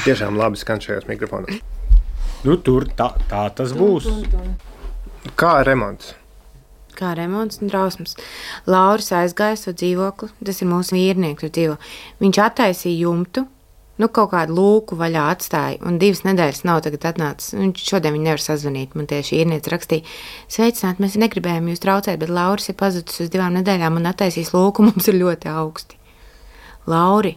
Tiešām labi skan šajos mikrofonos. Nu, tur tā tas būs. Kā remonts? Kā remonts un drausmas. Lauris aizgāja savu dzīvokli, tas ir mūsu vīrnieks dzīvo. Viņš attaisīja jumtu, kaut kādu lūku vaļā atstāja, un 2 nedēļas nav tagad atnācis. Šodien viņi nevar sazvanīt, man tieši vīrnieks rakstīja, sveicināt, mēs negribējām jūs traucēt, bet Lauris ir pazudis uz 2 nedēļām un attaisījis lūku, mums ir ļoti augsti. Lauri,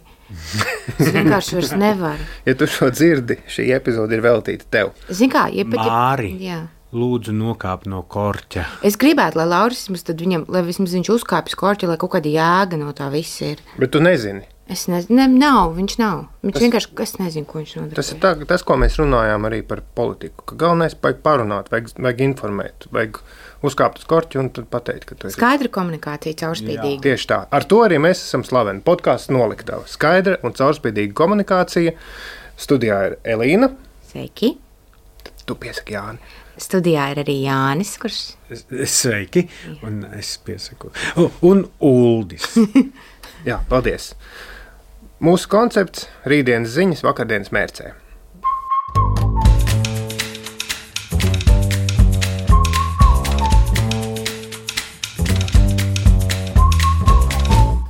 es vienkārši vairs nevaru. Ja tu šo dzirdi, šī epizode ir veltīta tev. Zini kā, Māri, jā. Lūdzu nokāp no korķa. Es gribētu, lai Lauris tad viņam, lai vismaz viņš uzkāpjas korķi, lai kaut kāda jēga no tā viss ir. Bet tu nezini. Es nezinu, viņš nav. Viņš vienkārši, es nezinu, ko viņš nodarbojas. Tas ir tas, ko mēs runājām arī par politiku. Ka galvenais vajag parunāt, vajag informēt, vajag uzkāpt uz korķi un tad pateikt, ka tu esi. Skaidra komunikācija, caurspīdīga. Tieši tā. Ar to arī mēs esam slaveni. Podkāsts Noliktava. Skaidra un caurspīdīga komunikācija. Studijā ir Elīna. Sveiki. Tu piesaki Jāni. Studijā ir arī Jānis, kurš... Sveiki, un es piesaku. Un Uldis. Jā, paldies. Mūsu koncepts – rītdienas ziņas vakardienas mērcē.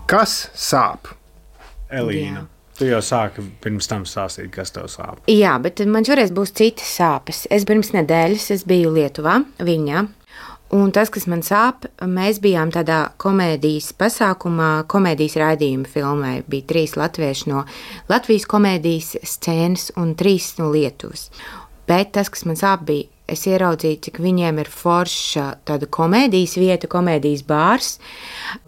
Kas sāp? Elīna, tu jau sāki pirms tam stāstīt, kas tev sāp. Jā, bet man šoreiz būs citas sāpes. Es pirms nedēļas biju Lietuvā, Viņā. Un tas, kas man sāp, mēs bijām tādā komēdijas pasākumā, komēdijas raidījuma filmē. Bija 3 latvieši no Latvijas komēdijas scēnas un 3 no Lietuvas. Bet tas, kas man sāp, bija, es ieraudzīju, cik viņiem ir forša tāda komēdijas vieta, komēdijas bārs,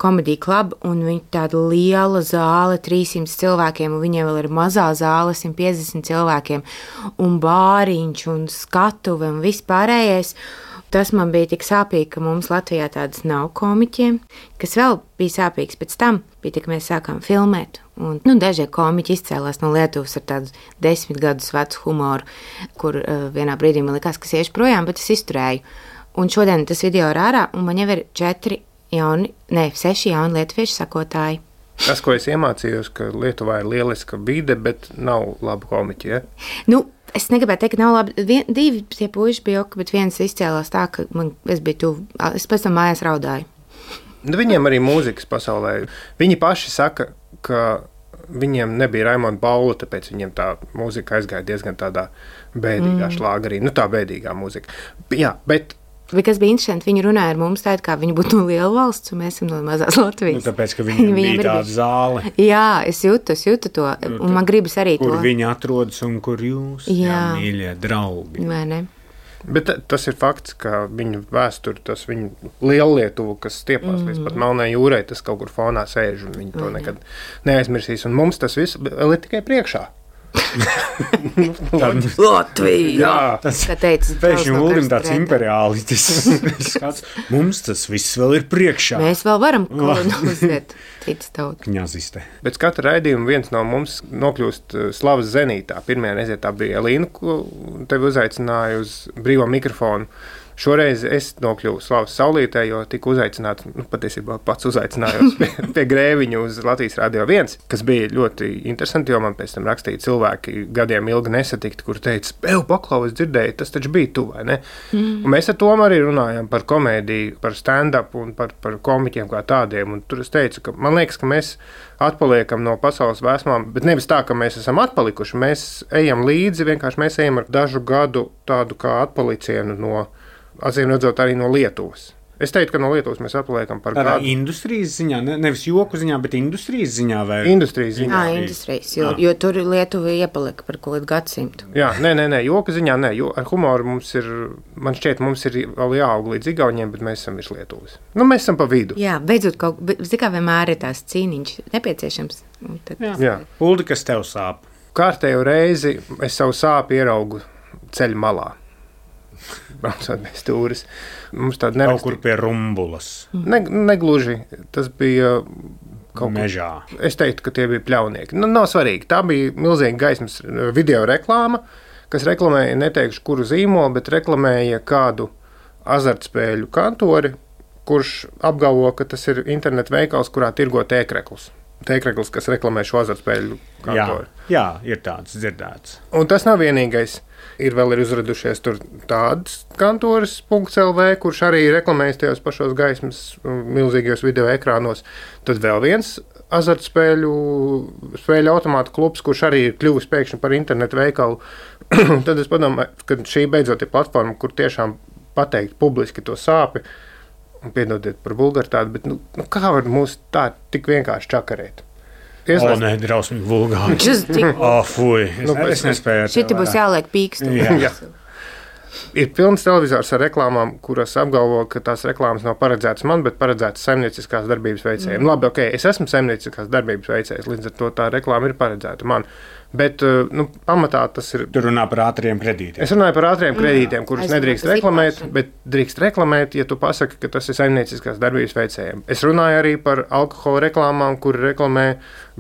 komēdija klub, un viņi tāda liela zāle, 300 cilvēkiem, un viņiem vēl ir mazā zāle, 150 cilvēkiem, un bāriņš, un skatuve, un vispārējais. Tas man bija tik sāpīgi, ka mums Latvijā tādas nav komiķiem, kas vēl bija sāpīgs pēc tam, bija tik mēs sākām filmēt. Un, dažie komiķi izcēlās no Lietuvas ar tādu 10 gadus vecu humoru, kur vienā brīdī man likās, ka iešu projām, bet es izturēju. Un šodien tas video ir ārā, un man jau ir 6 jauni lietuviešu sakotāji. Tas, ko es iemācījos, ka Lietuvā ir lieliska vide, bet nav labu komiķi, ja? Es negribētu teikt, ka nav labi. 2 tie puiši bija ok, bet viens izcēlās tā, ka es biju tuvu. Es pēc tam mājās raudāju. Viņiem arī mūzikas pasaulē. Viņi paši saka, ka viņiem nebija Raimonda Paula, tāpēc viņiem tā mūzika aizgāja diezgan tādā bēdīgā šlāgarī. Tā bēdīgā mūzika. Jā, bet... Kas bija interesanti, viņi runāja ar mums tā, kā viņi būtu no liela valsts, un mēs esam no mazās Latvijas. Tāpēc, ka viņiem bija tāda zāle. Jā, es jūtu to, un man gribas arī kur to. Kur viņi atrodas un kur jūs, mīļie draugi. Vai ne? Bet tas ir fakts, ka viņu vēsturi, tas viņu Liellietuvu, kas stiepās līdz pat Melnai jūrai, tas kaut kur fonā sēž, un viņi to nekad neaizmirsīs. Un mums tas viss vēl ir tikai priekšā. Latvija! Tas pēkšņi Uldim tāds imperiālitis. Mums tas viss vēl ir priekšā. Mēs vēl varam kolonizēt citas tautas. Kņaziste. Pēc katra raidījuma viens no mums nokļūst slavas zenītā. Pirmajā reizē tā bija Elīna, ko tevi uzaicināja uz brīvo mikrofonu. Šoreiz es nokļuvu Slavas saulītē, jo tiku uzaicināts, patiesībā pats uzaicinājos pie Grēviņa uz Latvijas Radio 1, kas bija ļoti interesanti, jo man pēc tam rakstīja cilvēki gadiem ilgi nesatikti, kur teica, paklau, es dzirdēju, tas taču bija tu, vai ne? Un mēs ar Tomu arī runājām par komēdiju, par stand-up un par komiķiem kā tādiem, un tur es teicu, ka man liekas, ka mēs atpaliekam no pasaules vēsmām, bet nevis tā, ka mēs esam atpalikuši, mēs ejam līdzi, vienkārši mēs ejam ar dažu gadu tādu kā atpalicienu no acīm redzot arī no Lietuvas. Es teiktu, ka no Lietuvas mēs atpaliekam par tādā gadu. Industrijas ziņā, nevis joku ziņā, bet industrijas ziņā vai? Industrijas ziņā. Industrijas, jo tur Lietuva iepalika par kaut kādu gadsimtu. Jā, nē, joka ziņā nē, jo ar humoru mums ir, man šķiet, mums ir vēl jāaug līdz Igauniem, bet mēs esam virs Lietuvas. Mēs esam pa vidu. Jā, beidzot kā vienmēr ir tās cīniņš nepieciešams. Jā. Uldi, kas tev sāp? Kārtējo reizi es savu sāpi ieraugu ceļu malā. Braucot bez stūres. Mums tāda kaut kur pie Rumbulas. Negluži. Tas bija kaut mežā. Es teiktu, ka tie bija pļaunieki. Nav svarīgi. Tā bija milzīga gaismas video reklāma, kas reklamēja, neteikšu, kuru zīmolu, bet reklamēja kādu azartspēļu kantori, kurš apgalvo, ka tas ir internetu veikals, kurā tirgo tēkreklus. tēkrekls, kas reklamē šo azartspēļu kantoru. Jā, ir tāds dzirdēts. Un tas nav vienīgais. Ir vēl uzradušies tur tādas kantoras .lv, kurš arī reklamējas tajos pašos gaismas milzīgajos video ekrānos. Tad vēl viens azartspēļu automātu klubs, kurš arī ir kļuvis pēkšņi par internetu veikalu. Tad es padomāju, ka šī beidzot ir platforma, kur tiešām pateikt publiski to sāpi. Piedodiet par vulgaritāti, bet kā var mūs tā tik vienkārši čakarēt? Nē, drausmīgi vulgāri. Fuj, es nespēju. Šiti būs jāliek pīkstu. Jā. Ir pilns televizors ar reklāmām, kuras apgalvo, ka tās reklāmas nav paredzētas man, bet paredzētas saimnieciskās darbības veicējiem. Labi, es esmu saimnieciskās darbības veicējs, līdz ar to tā reklāma ir paredzēta man. Bet pamatā tas ir. Tur runā par ātriem kredītiem. Es runāju par ātriem kredītiem, kurus nedrīkst reklamēt, bet drīkst reklamēt, ja tu pasaki, ka tas ir saimnieciskās darbības veicējiem. Es runāju arī par alkohola reklāmām, kur reklamē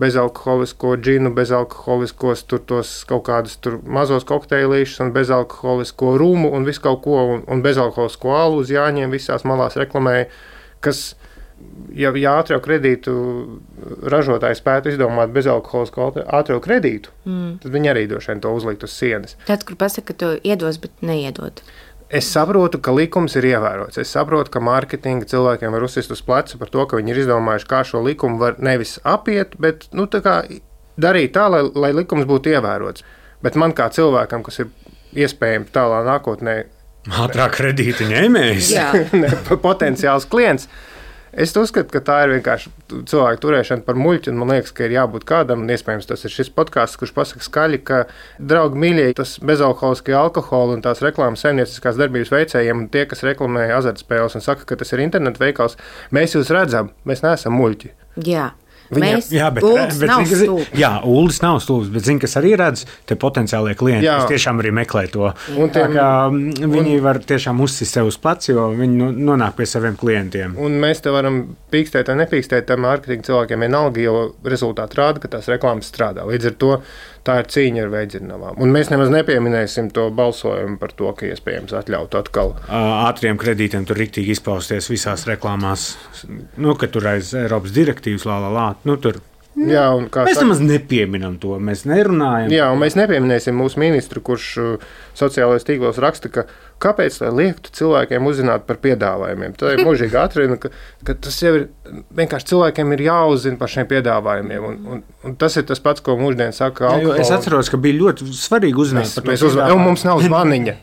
bezalkoholisko džinu, bezalkoholiskos tos kaut kādus mazos kokteilīšus un bezalkoholisko rūmu un visu kaut ko un bezalkoholisko alu uz jāņem visās malās reklamē, kas. Ja ātrā kredītu ražotājs spētu izdomāt bezalkoholisko ātrā kredītu, tad viņi arī droši vien to uzlikt uz sienas. Tāds, kur pasaka, ka to iedos, bet neiedod. Es saprotu, ka likums ir ievērots. Es saprotu, ka mārketinga cilvēkiem var uzsist uz pleca par to, ka viņi ir izdomājuši, kā šo likumu var nevis apiet, bet darīt tā, lai likums būtu ievērots. Bet man kā cilvēkam, kas ir iespējams tālā nākotnē ātrā kredīta ņēmējs, potenciāls klients. Es uzskatu, ka tā ir vienkārši cilvēku turēšana par muļķi, un man liekas, ka ir jābūt kādam, un iespējams tas ir šis podkāsts, kurš pasaka skaļi, ka, draugi mīļie, tas bezalkoholiskie alkoholi un tās reklāmas saimnieciskās darbības veicējiem, un tie, kas reklamē azartspēles un saka, ka tas ir internetu veikals, mēs jūs redzam, mēs neesam muļķi. Jā. Uldis nav stulbs, bet zini, kas arī redz, te potenciālie klienti, kas tiešām arī meklē to. Viņi var tiešām uzsist sev uz pleca, jo viņi nonāk pie saviem klientiem. Un mēs te varam pīkstēt vai nepīkstēt, tam mārketinga cilvēkiem vienalga, jo rezultāti rāda, ka tās reklāmas strādā. Līdz ar to tā ir cīņa ar veidzirnavām. Un mēs nemaz nepieminēsim to balsojumu par to, ka iespējams atļaut atkal. Ātriem kredītiem tur riktīgi izpausties visās reklāmās, ka tur aiz Eiropas direktīvas tur. Jā, mēs nemaz nepieminam to, mēs nerunājam. Jā, un mēs nepieminēsim mūsu ministru, kurš sociālajos tīklos raksta, ka kāpēc lai liektu cilvēkiem uzzināt par piedāvājumiem. Tā ir mūžīgi atrina, ka tas jau ir vienkārši cilvēkiem ir jāuzzina par šiem piedāvājumiem. Un tas ir tas pats, ko mūždien saka alkohola. Es atceros, ka bija ļoti svarīgi uzzināt par to. Mums nav zvaniņa.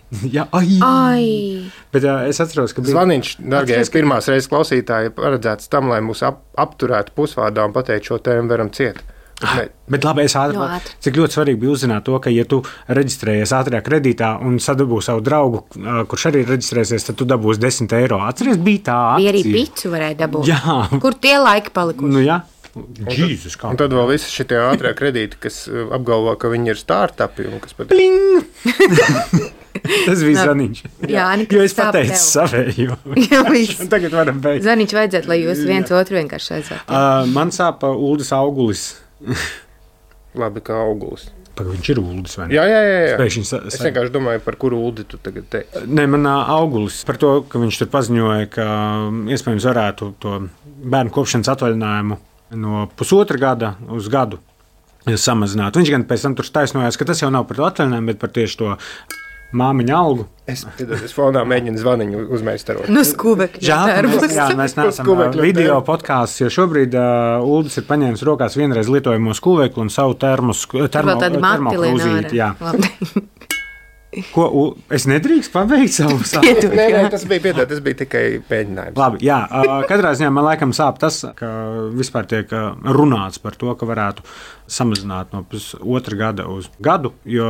Bet es atceros, ka bija zvaniņš, dargie pirmās reizes klausītāji, paredzēts tam, lai mūs apturētu pusvārdā un pateikt šo tēmu varam ciet. Bet labi, cik ļoti svarīgi bija uzzināt to, ka, ja tu reģistrējies ātrajā kredītā un sadabū savu draugu, kurš arī reģistrēsies, tad tu dabūsi 10 eiro. Atceries, bija tā akcija. Bija arī picu varēja dabūt. Jā. Kur tie laiki palikuši? Jā. Jēzus, un tad vēl visi šitie ātrie kredīti, kas apgalvo, ka viņi ir startupi un kas pat... Tas bija Zaniņš. Jā, jo es pateicu savējo. Tagad varam beigt. Zaniņš vajadzētu, lai jūs viens otru vienkārši aizvērtu. Man sāpa Uldis augulis. Labi, kā augulis. Viņš ir Uldis, vai ne? Jā. Es vienkārši domāju, par kuru Uldi tu tagad teiksi. Nē, man augulis par to, ka viņš tur paziņoja, ka iespējams varētu to bērnu kopšanas atvaļinājumu no pusotra gada uz gadu samazināt. Viņš gan pēc tam tur taisnojās, ka tas jau nav par to atvaļinājumu, bet par tieši to māmiņa algu. Es fonā mēģinu zvaniņu uzmeistarot. Skūbekļa. Žēl, mēs neesam video podkāsts, jo šobrīd Uldis ir paņēmis rokās vienreiz lietojamo skūvekli un savu termokrūzīti. Ko, es nedrīkst pabeigt savu sāpes? Nē, tas bija tikai pēģinājums. Labi, jā, katrā ziņā man laikam sāp tas, ka vispār tiek runāts par to, ka varētu samazināt no pusotra gada uz gadu, jo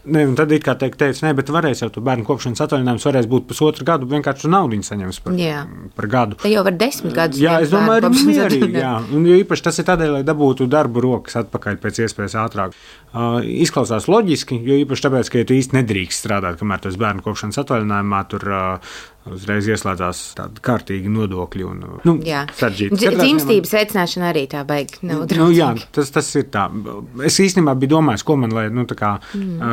ne, un tad it kā teica, nē, bet varēs jau tu bērnu kopšanas atvaļinājums varēs būt pusotru gadu, vienkārši tu naudiņu saņems par gadu. Te jau var 10 gadus. Jā, es domāju, arī mierīgi, jā. Un jo īpaši tas ir tādēļ, lai dabūtu darbu rokas atpakaļ pēc iespējas ātrāk. Izklausās loģiski, jo īpaši tāpēc, ka ja tu īsti nedrīkst strādāt, kamēr tu esi bērnu kopšanas atvaļinājumā, tur uzreiz ieslēdzās tādi kārtīgi nodokļi un saržģīti. Dzimstības veicināšana arī tā baigi nav jā, tas ir tā. Es īstenībā biju domājis, ko man,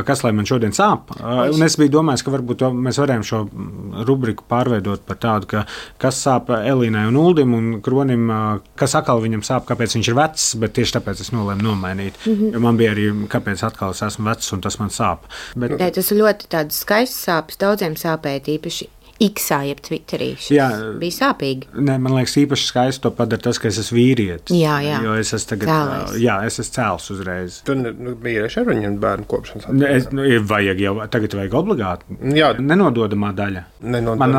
kas lai man šodien sāp. Un es biju domājis, ka varbūt mēs varējām šo rubriku pārveidot par tādu, ka kas sāp Elīnai un Uldim un Kronim, kas atkal viņam sāp, kāpēc viņš ir vecs, bet tieši tāpēc es nolēmu nomainīt. Jo man bija arī, kāpēc atkal es esmu vecs un tas man sāp. Bet... Tas ir ļoti tāds skaists sāpes, daudziem sāpēt īpaši. X-ā, jeb Twitterī. Bija sāpīgi. Nē, man liekas, īpaši skaisti to padara tas, ka es esmu vīrietis. Jā. Jo es esmu tagad, es esmu cēls uzreiz. Tu vīrieši ar viņu bērnu kopšanas Tagad vajag obligāti. Jā. Nenododamā daļa. Man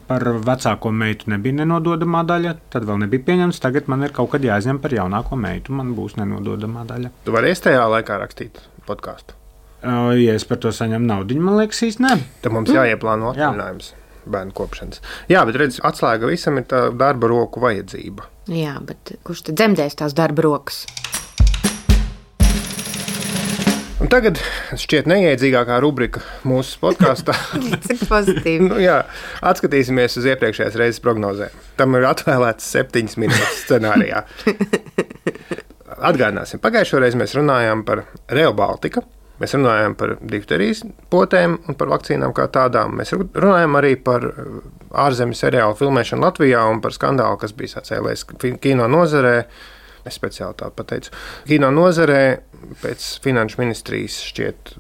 par vecāko meitu nebija nenododamā daļa, tad vēl nebija pieņemts. Tagad man ir kaut kad jāizņem par jaunāko meitu, man būs nenododamā daļa. Tu varēsi tajā laikā rakstīt podkāstu? Ja es par to saņemu naudu, man liekas, īsti ne. Tad mums jāieplāno atvaļinājums bērnu kopšanas. Jā, bet redz, atslēga visam ir tā darba roku vajadzība. Jā, bet kurš tad dzemdēs tās darba rokas? Un tagad šķiet neiedzīgākā rubrika mūsu podkāstā. Cik pozitīvi. Atskatīsimies uz iepriekšējās reizes prognozēm. Tam ir atvēlēts 7 minūtes scenārijā. Atgādināsim, pagājušo reizi mēs runājām par Rail Baltica. Mēs runājām par difterijas potēm un par vakcīnām kā tādām. Mēs runājām arī par ārzemju seriālu filmēšanu Latvijā un par skandālu, kas bija sacēlējis kino nozarē. Es speciāli tā pateicu. Kino nozarē pēc finanšu ministrijas šķiet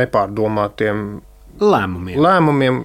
nepārdomātiem lēmumiem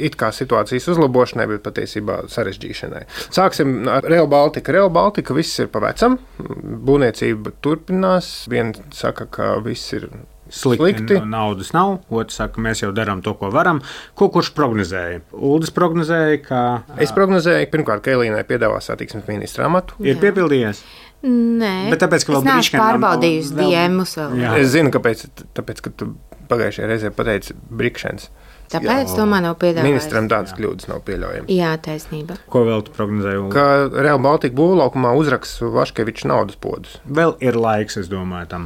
it kā situācijas uzlabošanai, bet patiesībā sarežģīšanai. Sāksim ar Rail Baltica. Rail Baltica viss ir pa vecam, būvniecība turpinās. Viens saka, ka viss ir slikti. Naudas nav. Otrs saka, mēs jau darām to, ko varam. Kurš prognozēja? Uldis prognozēja, ka... Es prognozēju, pirmkārt, ka Elīnai piedāvā satiksmes ministra amatu. Ir piepildījies? Nē, bet tāpēc, ka es neesmu pārbaudījusi DMus vēl. Es zinu, kāpēc, ka tu pagājušajā reizē pateici Brikšens. Tāpēc to man nav piedāvājis. Ministram tādas kļūdas nav pieļaujamas. Jā, taisnība. Ko vēl tu prognozēji? Ka Rail Baltica būvlaukumā uzraks Vaškeviča naudas podus. Vēl ir laiks, es domāju, tam.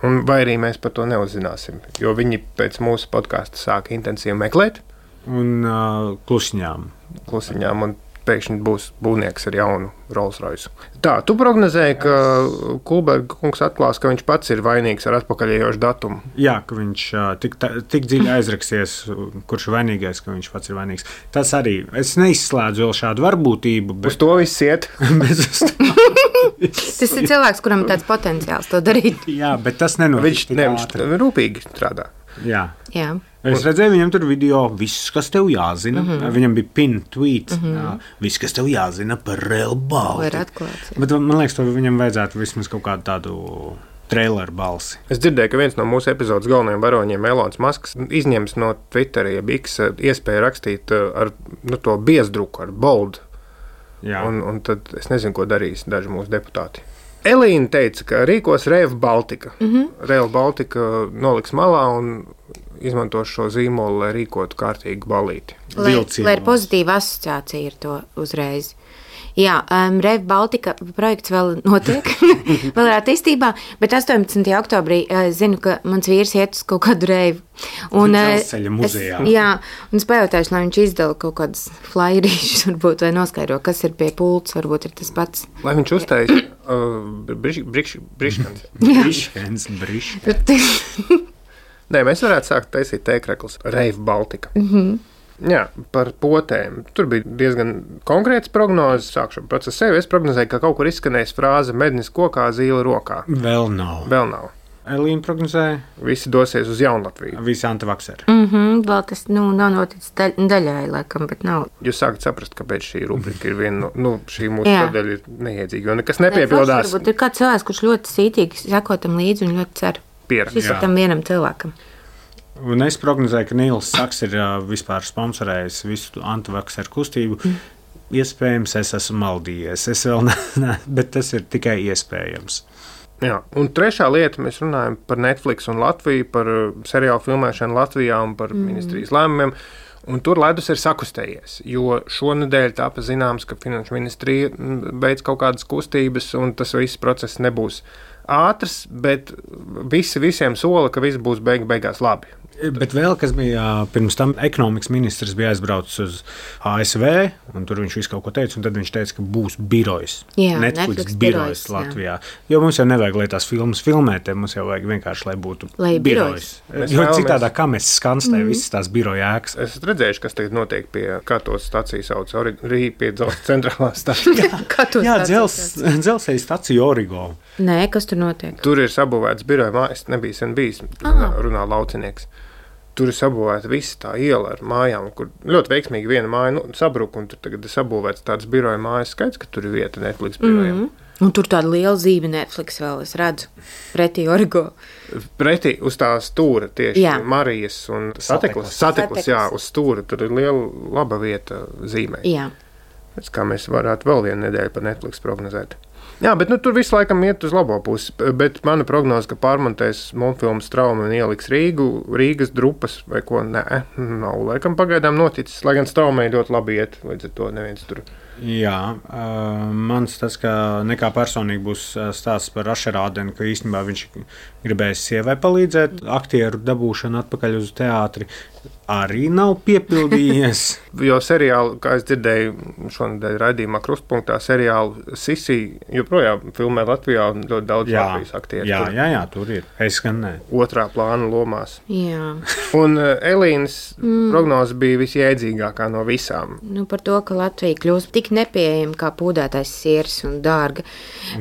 Un vai arī mēs par to neuzzināsim, jo viņi pēc mūsu podkāsta sāka intensīvi meklēt. Un klusiņām. Un pēkšņi būs būvnieks ar jaunu Rolls-Royce. Tā, tu prognozēji, ka Kulberga kungs atklās, ka viņš pats ir vainīgs ar atpakaļējošu datumu. Jā, ka viņš tik dziļi aizraksies, kurš ir vainīgais, ka viņš pats ir vainīgs. Tas arī, es neizslēdzu vēl šādu varbūtību. Bet... Uz to viss iet. Tas ir cilvēks, kuram ir tāds potenciāls to darīt. Jā, bet tas nenotiek. Viņš rūpīgi strādā. Jā. Es redzēju, viņam tur video, viss, kas tev jāzina. Viņam bija pin tweet, viss, kas tev jāzina par Rail Baltica. Bet man liekas, to viņam vajadzētu vismaz kaut kādu tādu traileru balsi. Es dzirdēju, ka viens no mūsu epizodes galvenajiem varoņiem, Elonas Masks, izņems no Twitter, jeb X iespēju rakstīt ar to biezdruku, ar bold. Un tad es nezinu, ko darīs daži mūsu deputāti. Elīna teica, ka rīkos Rail Baltica. Rail Baltica noliks malā un izmantos šo zīmolu, lai rīkotu kārtīgu balīti. Lai ir pozitīva asociācija ar to uzreiz. Jā, Rail Baltica projekts vēl notiek, vēl ir attīstībā, bet 18. oktobrī zinu, ka mans vīrs iet uz kaut kādu reivu. Dzelzceļa muzejā. Un es pajautāšu, lai viņš izdala kaut kādas flyerīšas, varbūt, vai noskaidro, kas ir pie pults, varbūt ir tas pats. Lai viņš uztais Briškens. Nē, mēs varētu sākt taisīt tēkrekls Rail Baltica. Jā, par potēm. Tur bija diezgan konkrēts prognozes. Sākšu pats ar sevi. Es prognozēju, ka kaut kur izskanēs frāze mednis kokā, zīle rokā. Vēl nav. Elīna prognozēja. Visi dosies uz Jaunlatviju. Visi antivakseri. Vēl tas nav noticis daļai, laikam, bet nav. Jūs sākat saprast, kāpēc šī rubrika ir viena šī mūsu sadaļa ir neiedzīga, jo nekas nepiepildās. Varbūt ir kāds cilvēks, kurš ļoti cītīgi sako tam līdzi un ļoti cer. Šis ir tam vienam cilvēkam. Un es prognozēju, ka Nīls Saks ir vispār sponsorējis visu antivakseru kustību. Iespējams, es esmu maldījies. Es vēl bet tas ir tikai iespējams. Jā, un trešā lieta, mēs runājam par Netflix un Latviju, par seriālu filmēšanu Latvijā un par ministrijas lēmumiem. Un tur ledus ir sakustējies, jo šonedēļ tāpa zināms, ka Finanšu ministrija beidz kaut kādas kustības, un tas viss process nebūs ātrs, bet visiem sola, ka viss būs beigās labi. Bet vēl kas bija pirms tam, ekonomikas ministrs bija aizbraucis uz ASV, un tur viņš visu kaut ko teica, un tad viņš teica, ka būs birojs. Jā, Netflix birojs Latvijā. Jo mums jau nevajag, lai tās filmas filmēt, mums jau vajag vienkārši, lai būtu birojs. Jo citādā, kā mēs skanstē visas tās biroja ēkas. Es esmu redzējuši, kas tagad notiek pie Katos stacijas sauc, pie dzelzceļa centrālās stācijas. Jā, dzelzceļa stacija Origo. Nē, kas tur notiek? Tur ir sabūvēts biroja mājas, nebija sen bijis, runā laucinieks. Tur ir sabūvēta visa tā iela ar mājām, kur ļoti veiksmīgi viena māja sabruka, un tur tagad ir sabūvēts tāds biroja mājas skaits, ka tur ir vieta Netflix birojiem. Un tur tāda liela zīme Netflix vēl, es redzu, pretī Origo. Pretī uz tā stūra tieši Marijas un Satiklas, jā, uz stūra, tur ir liela laba vieta zīmē. Jā. Pēc kā mēs varētu vēl vienu nedēļu par Netflix prognozēt. Jā, bet tur visu laikam iet uz labo pusi, bet mana prognoze, ka pārmontēs Montfilmu Straumi un ieliks Rīgas drupas vai ko, nav laikam pagaidām noticis, lai gan Straumei ļoti labi iet, līdz ar to neviens tur. Jā, mans tas, ka nekā personīgi būs stāsts par Ašerādenu, ka īstenībā viņš gribēs sievai palīdzēt, aktieru dabūšanu atpakaļ uz teātri, arī nav piepildījies. Jo seriāli, kā es dzirdēju šonadēļ raidījumā Krustpunktā, seriālu Sisi joprojām filmē Latvijā un ļoti daudz Latvijas aktieru. Jā, tur ir. Es gan ne. Otrā plāna lomās. Jā. Un Elīnas prognoze bija visjēdzīgākā no visām. Par to, ka Latvija kļūst tik nepieejama kā pūdētais siers un dārga.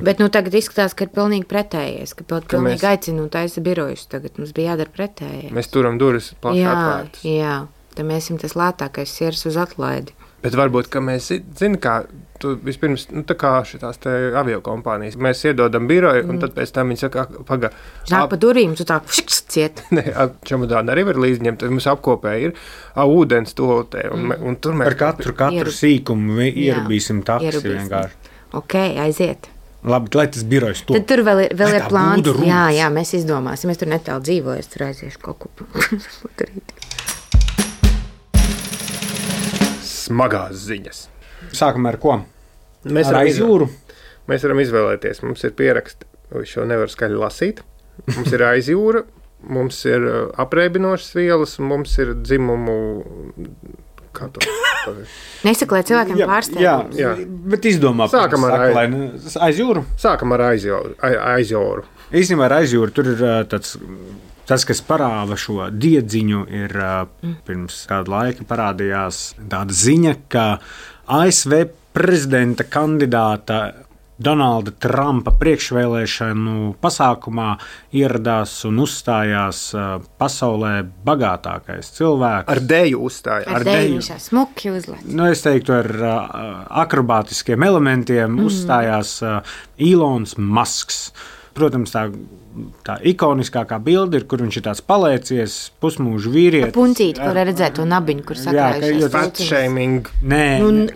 Bet tagad izskatās, ka ir pilnīgi pretējies, ka pilnīgi aicina un taisa birojus. Tagad mums bija jādara pretēji. Mēs turam durvis plaši atvērtas. Jā, tad mēs esam tas lētākais siers uz atlaidi. Bet varbūt, ka mēs zinām, kā tu vispirms, tā kā šitās te aviokompānijas, mēs iedodam biroju, un tad pēc tam viņi saka, Nāk pa durīm, tu tā ciet. Nē, čemodāni arī var līdzņemt, tad mums apkopē ir ūdens tolotē, un tur mēs... Par katru sīkumu ierubīsim taksi vienkārši. Ok, aiziet. Labi, lai tas birojs to. Tad tur vēl ir plāns. Jā, mēs izdomāsim. Es tur netālu dzīvoju, es tur aiziešu kaut ko darīt. Smagās ziņas. Sākam ar ko? Mēs ar aizjūru? Mēs varam izvēlēties. Mums ir pieraksti, šo nevar skaļi lasīt. Mums ir aizjūra, mums ir apreibinošas vielas, un mums ir dzimumu... Kā to? Nesaka, lai cilvēkiem pārsteigums. Jā, bet izdomā. Sākam ar aizjūru. Sākam ar aizjūru. Īstenībā ar aizjūru tur ir tas, kas parāda šo diedziņu, ir pirms kāda laika parādījās tāda ziņa, ka ASV prezidenta kandidāta Donalda Trumpa priekšvēlēšanu pasākumā ieradās un uzstājās pasaulē bagātākais cilvēks. Ar deju uzstājās. Ar deju smuki uzlēc. Es teiktu, ar akrobātiskiem elementiem uzstājās Ilons Masks. Protams, tā ikoniskākā bilde ir, kur viņš ir tāds palēcies, pusmūžu vīrietis. Puncīti, kur redzēt to nabiņu, kur sakrājušies. Fat shaming. Nē.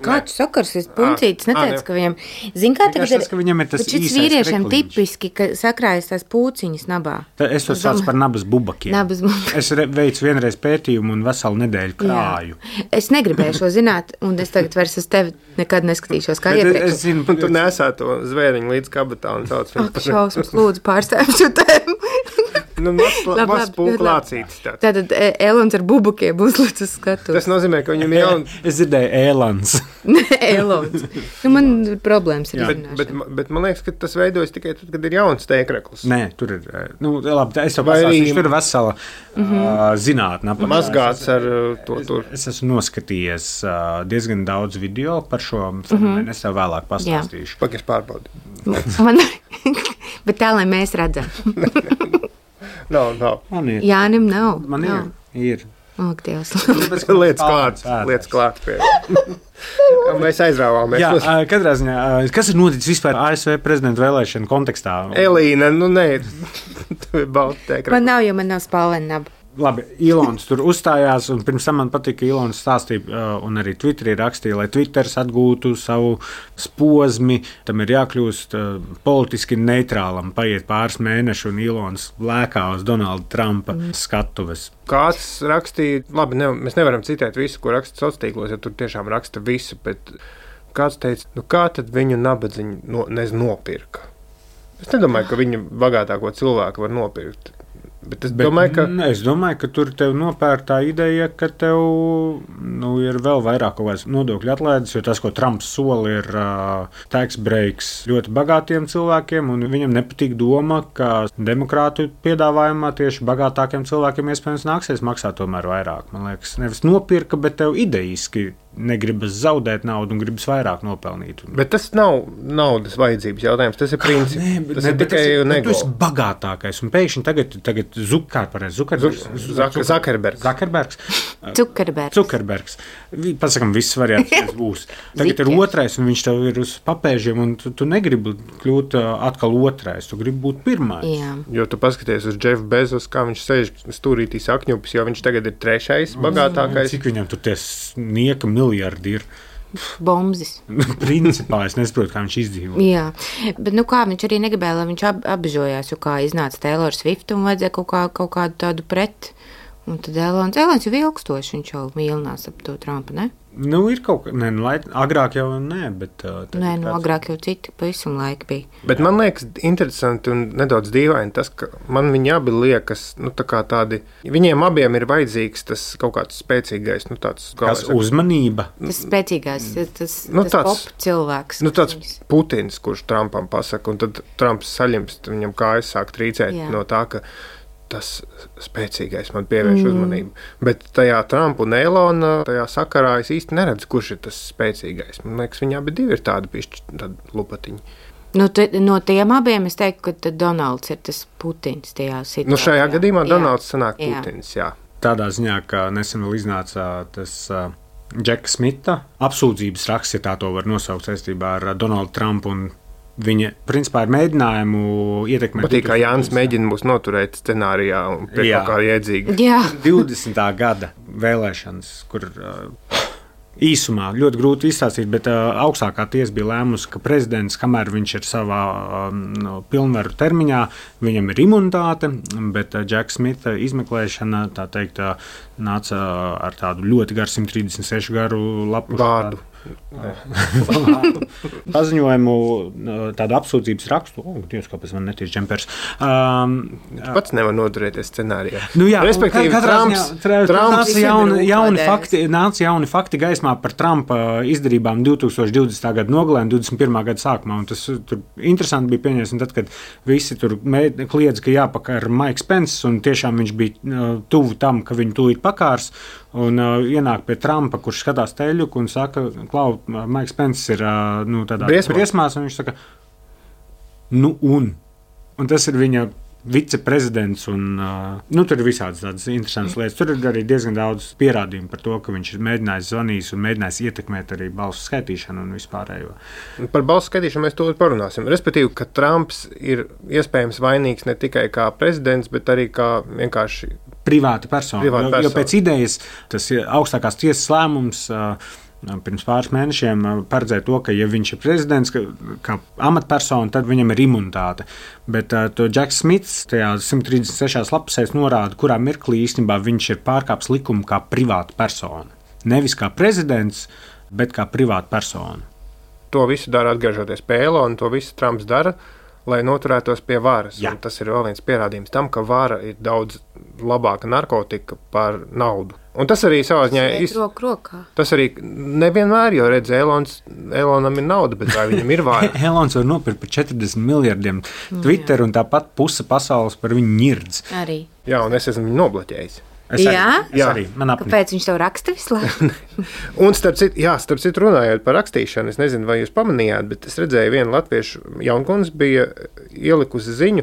Kāds sakars, es puncītis neteicu, ka viņam, zin kā tagad ir, ka viņam ir tas šis vīriešiem tipiski, ka sakrājas tās pūciņas nabā. Es to sauc par nabas bubakiem. Es veicu vienreiz pētījumu un veselu nedēļu krāju. Es negribēju šo zināt, un es tagad vairs uz tevi nekad neskatīšos kā iepriekš. Un tu nesā to zvēriņu līdz kabatā un sauc viņu. Ak, šausmas, lūdzu, pārstāvju šo tēmu. Maz pūklācītis tāds. Tātad Elons ar bubukiem uzlic uz skatu. Tas nozīmē, ka viņam ir jaun... Es dzirdēju Elons. Nē, Elons. Man problēmas ir bet man liekas, ka tas veidojas tikai tad, kad ir jauns tēkrekls. Nē, tur ir... Labi, es jau pasāstīšu, tur ir vesela zinātne. Mazgāts ar to tur. Es esmu noskatījies diezgan daudz video par šo fenomenu. Es tev vēlāk pastāstīšu. Pagaidzi pārbaudi. Bet tā, lai mēs redzam. Nav. Jānim nav. Man ir. Ak, Dievs. Lietas klāt pie. Mēs aizrāvāmies. Jā, katrā ziņā. Kas ir noticis vispār ASV prezidenta vēlēšanu kontekstā? Elīna, nē. Tu ir balta tēkra. Man nav, jo man nav spalvena naba. Labi, Ilons tur uzstājās, un pirms tam man patika, ka Ilons stāstīja, un arī Twitterī rakstīja, lai Twitters atgūtu savu posmu, tam ir jākļūst politiski neitrālam, paiet pāris mēneši, un Ilons lēkā uz Donalda Trumpa skatuves. Kāds rakstīja, labi, mēs nevaram citēt visu, ko raksta sociālos tīklos, ja tur tiešām raksta visu, bet kāds teica, kā tad viņu nabadziņu nopirka? Es nedomāju, ka viņu bagātāko cilvēku var nopirkt. Bet es domāju, ka tur tev nopēr tā ideja, ka tev ir vēl vairāk kaut kādas nodokļu atlaides, jo tas, ko Trumps sola, ir tax breaks ļoti bagātiem cilvēkiem, un viņam nepatīk doma, ka demokrātu piedāvājumā tieši bagātākiem cilvēkiem iespējams nāksies maksāt tomēr vairāk. Man liekas, nevis nopirka, bet tev idejiski negribas zaudēt naudu un gribas vairāk nopelnīt. Bet tas nav naudas vajadzības jautājums, tas ir princips. Tas ir tikai nego. Tu esi bagātākais, un pēkšņi tagad Zukerbergs. Pasakam, visas variācijas būs. Tagad ir otrais, un viņš tev ir uz papēžiem, un tu negribi kļūt atkal otrais, tu gribi būt pirmais. Jā. Jo tu paskaties uz Jeff Bezos, kā viņš sēž stūrītī sakņupis, jo viņš tagad ir trešais bagātākais. Cik viņam tur tie nieka miljardi ir? Bombzis. Principā es nesaprotu, kā viņš izdzīvo. Jā, bet kā viņš arī negribēja, lai viņš apbežojās, jo kā iznāca Taylor Swift un vajadzēja kaut kādu tādu pret. Un tad Elons jau ilgstoši, viņš jau mīlinās ap to Trumpa, ne? Ir kaut kā, agrāk jau nē, bet... agrāk jau citi pavisam laiki bija. Bet man liekas interesanti un nedaudz dīvaini tas, ka man viņi abi liekas, tā kā tādi, viņiem abiem ir vajadzīgs tas kaut kāds spēcīgais, tāds... Kas uzmanība? Tas spēcīgais, tas pop cilvēks. Tāds Putins, kurš Trumpam pasaka, un tad Trumps saļimst, viņam kājas sāk trīcēt no tā, ka tas spēcīgais man pievērš uzmanību. Bet tajā Trumpa un Elona tajā sakarā es īsti neredzu, kurš ir tas spēcīgais. Man liekas, viņi abi divi ir tādi lupatiņi. No tiem abiem es teiktu, ka Donalds ir tas Putins tajā situācijā. Šajā gadījumā Donalds sanāk Putins, jā. Tādā ziņā, ka nesen vēl iznāca tas Džeka Smita apsūdzības raksts, ja tā to var nosaukt saistībā ar Donaldu Trumpu un viņa, principā, ir mēģinājumu ietekmēt. Patīk, kā Jānis mēģina mūs noturēt scenārijā un pie kaut kā iedzīgi. Jā. 20. gada vēlēšanas, kur īsumā ļoti grūti izstāstīt, bet augstākā tiesa bija lēmusi, ka prezidents, kamēr viņš ir savā pilnvaru termiņā, viņam ir imunitāte, bet Džeka Smita izmeklēšana, tā teikt, nāca ar tādu ļoti garu 136 garu lapu vārdu. Paziņojumu, tādu apsūdzības rakstu. Dievs, kāpēc man netiek džempers. Pats nevar noturēties scenārijā. Respektīvi, Trumps nāca jauni fakti gaismā par Trumpa izdarībām 2020. gada nogalē un 21. gada sākumā. Un tas tur interesanti bija pieņemts, tad, kad visi tur kliedz, ka jāpakar Maiks Pence, un tiešām viņš bija tuvu tam, ka viņu tūlīt pakārs. Un ienāk pie Trumpa, kurš skatās teļuku un saka, Klau, Maiks Pence ir tādā briesmās, un viņš saka, un tas ir viņa viceprezidents, un tur ir visādas tādas interesantas lietas. Tur ir arī diezgan daudz pierādījumu par to, ka viņš ir mēģinājis zvanīt un mēģinājis ietekmēt arī balsu skaitīšanu un vispārējo. Par balsu skaitīšanu mēs to parunāsim. Respektīvi, ka Trumps ir iespējams vainīgs ne tikai kā prezidents, bet arī kā vienkārši privāta persona. Jo pēc idejas tas augstākās tiesas lēmums pirms pāris mēnešiem paredzēja to, ka, ja viņš ir prezidents, kā amatpersona, tad viņam ir imunitāte. Bet to Džeks Smits tajā 136 lapusēs norāda, kurā mirklī īstenībā viņš ir pārkāpis likumu kā privāta persona. Nevis kā prezidents, bet kā privāta persona. To visu dara atgriežoties pie Elona, to visu Trumps dara, lai noturētos pie varas. Tas ir vēl viens pierādījums tam, ka vara ir daudz labāka narkotika par naudu. Un tas arī savā ziņā tas arī nevienmēr, jo redz, Elonam ir nauda, bet vai viņam ir vara? Elons var nopirkt par 40 miljardiem Twitter, un tāpat puse pasaules par viņu ņirdz. Arī. Jā, un es esmu viņu nobloķējis. Arī. Kāpēc viņš tev raksta visu laiku? Un starp citu runājot par rakstīšanu, es nezinu, vai jūs pamanījāt, bet es redzēju, viena latviešu jaunkundze bija ielikusi ziņu,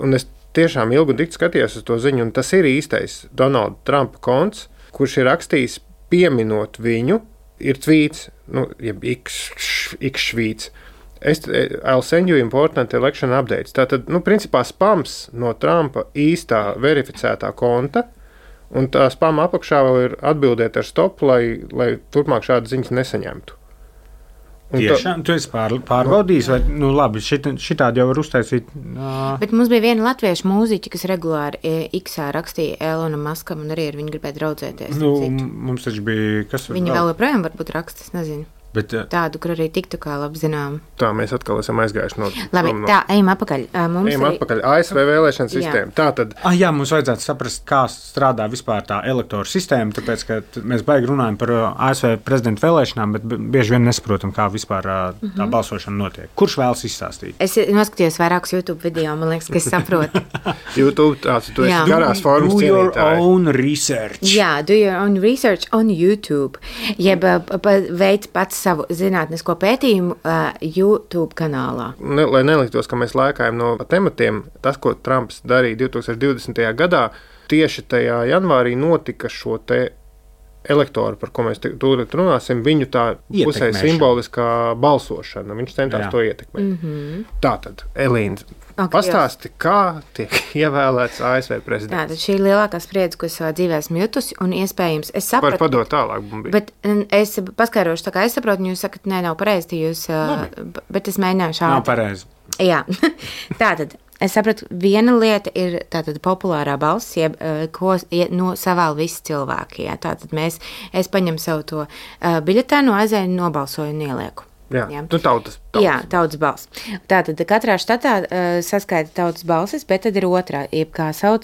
un es tiešām ilgi un dikti skatījos uz to ziņu, un tas ir īstais Donalda Trumpa konts, kurš ir rakstījis pieminot viņu, ir tvīts, jeb X-švīts. I'll send you important election updates. Tātad, principā spams no Trumpa īstā verificētā konta, un tā spama apakšā vēl ir atbildēt ar stop, lai turpmāk šādas ziņas nesaņemtu. Tiešām, tu esi pārbaudījis, vai, labi, šitādi jau var uztaisīt. Bet mums bija viena latviešu mūziķa, kas regulāri X-ā rakstīja Elonam Maskam, un arī ar viņu gribēja draudzēties. Mums taču bija, kas var... Viņa vēl joprojām varbūt raksta, es nezinu. tādu, kur arī tiktu kā labi zinām. Tā mēs atkal esam aizgājuši no... Labi, tā, ejam atpakaļ. Atpakaļ. ASV vēlēšana sistēma. Tātad... Jā, mums vajadzētu saprast, kā strādā vispār tā elektoru sistēma, tāpēc, ka mēs baigi runājam par ASV prezidentu vēlēšanām, bet bieži vien nesaprotam, kā vispār tā balsošana notiek. Kurš vēlas izstāstīt? Es noskatījos vairākus YouTube video, man liekas, ka es saprotu. YouTube, tu esi garās formas cienītāji. Do your own research. Jā, do your own research on YouTube. Jeb veic pats savu zinātnisko pētījumu YouTube kanālā. Lai neliktos, ka mēs lēkājam no tematiem, tas, ko Trumps darīja 2020. Gadā, tieši tajā janvārī notika šo te elektoru, par ko mēs tūlīt runāsim, viņu tā pusē simboliskā balsošana. Viņš centās to ietekmēt. Tātad, Elīna, pastāsti, kā tiek ievēlēts ASV prezidents. Tātad šī ir lielākā spriedze, ko es savā dzīvē esmu jutusi, un iespējams, es sapratu... Var padot tālāk, Bumbi. Bet es paskaidrošu, tā kā es saprotu, un jūs sakat, nav pareizi, jūs... Bet es mēģināju šādi. Nav pareizi. Jā, tātad... Es sapratu, viena lieta ir tātad populārā balss, ko savēl visi cilvēki. Jā. Tātad es paņemu savu to biļetēnu, aizēju, nobalsoju un ielieku. Jā, tautas. Jā, tautas balss. Tātad katrā štatā saskaita tautas balsis, bet tad ir otrā, kā sauc,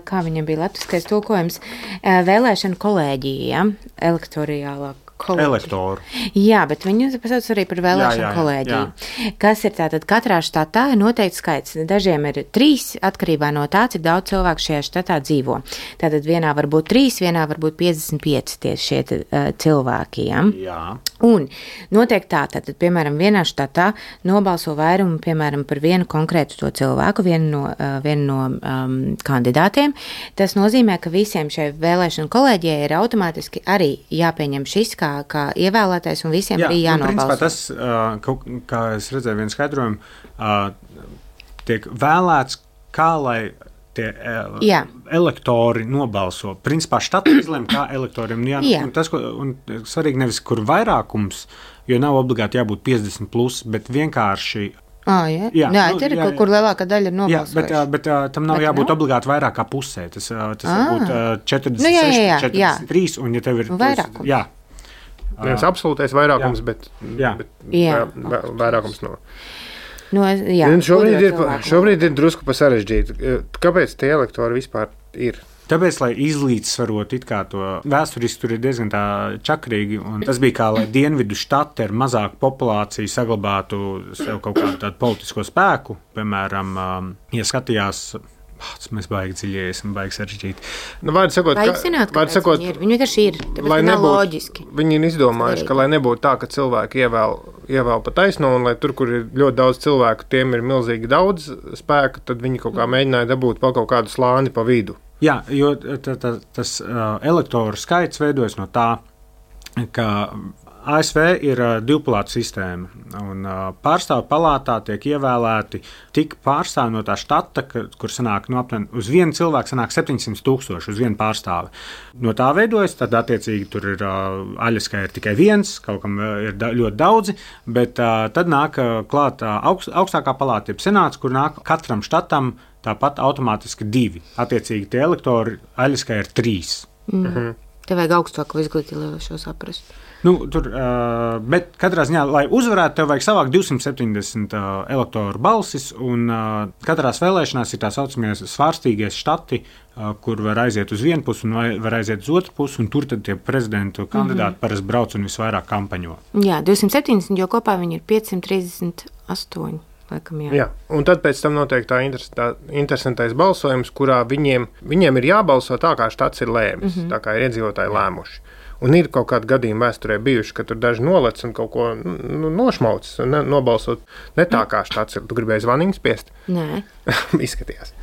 kā viņam bija latviskais tulkojums, vēlēšana kolēģija, elektoriālā. Elektoru. Jā, bet viņu pasauc arī par vēlēšanu kolēģiju. Kas ir tātad katrā štatā ir noteikts skaits. Dažiem ir 3, atkarībā no tā, cik daudz cilvēku šajā štatā dzīvo. Tātad vienā var būt 3, vienā var būt 55 tieši šie cilvēki. Jā. Un noteikti tātad, piemēram, vienā štatā nobalso vairumu, piemēram, par vienu konkrētu to cilvēku, vienu no kandidātiem. Tas nozīmē, ka visiem šai vēlēšanu kolēģijai ir automātiski arī jāpieņem šis kā ievēlētais, un visiem arī jānobalso. Principā tas, kā es redzēju vienu skaidrojumu, tiek vēlēts, kā lai tie elektori nobalso. Principā štati izlem, kā elektoriem un svarīgi nevis, kur vairākums, jo nav obligāti jābūt 50+, bet vienkārši... Kur lielākā daļa ir nobalsojuši. Bet tam nav jābūt obligāti vairāk kā pusē. Tas var būt 46, 43, un ja tev ir... Vairākums. Nevis absolūtais vairākums, bet vairākums no... Šobrīd ir drusku sarežģīti. Kāpēc tie elektori vispār ir? Tāpēc, lai izlīdzsvarot it kā to vēsturiski, tur ir diezgan tā čakrīgi, un tas bija kā, lai dienvidu štati ar mazāku populāciju saglabātu sev kaut kādu tādu politisko spēku. Piemēram, ja skatījās... Mēs baigi dziļies un baigi sarežģīt. Viņi vienkārši ir. Tāpēc nav loģiski. Viņi ir izdomājuši, ka lai nebūtu tā, ka cilvēki ievēl pa taisno, un lai tur, kur ir ļoti daudz cilvēku, tiem ir milzīgi daudz spēka, tad viņi kaut kā mēģināja dabūt pa kaut kādu slāni pa vidu. Jā, jo tas elektoru skaits veidojas no tā, ka ASV ir divpalātu sistēma, un pārstāvju palātā tiek ievēlēti tik pārstāvji no tā štata, kur sanāk uz vienu cilvēku sanāk 700,000 uz vienu pārstāvi. No tā veidojas, tad attiecīgi tur ir aļas, ka ir tikai viens, kaut kam ir ļoti daudzi, bet tad nāk klāt augstākā palāta, jeb senāts, kur nāk katram štatam tāpat automātiski 2. Attiecīgi tie elektori aļas, ka ir 3. Tev vajag augstāku izglītību, lai šo saprastu. Bet katrā ziņā, lai uzvarētu, tev vajag savākt 270 elektoru balsis, un katrās vēlēšanās ir tā saucamie svārstīgie štati, kur var aiziet uz vienu pusi un var aiziet uz otru pusi, un tur tad tie prezidentu kandidāti parasti brauc un visvairāk kampaņo. Jā, 270, jo kopā viņi ir 538. Laikam, jā, un tad pēc tam notiek tā interesantais balsojums, kurā viņiem ir jābalso tā, kā štats ir lēmis, tā kā ir iedzīvotāji lēmuši. Un ir kaut kādi gadījumi vēsturē bijuši, ka tur daži nolec un kaut ko nošmauc un nobalsot ne tā, kā štats ir. Tu gribēji zvaniņu spiest? Nē. Izskatījās.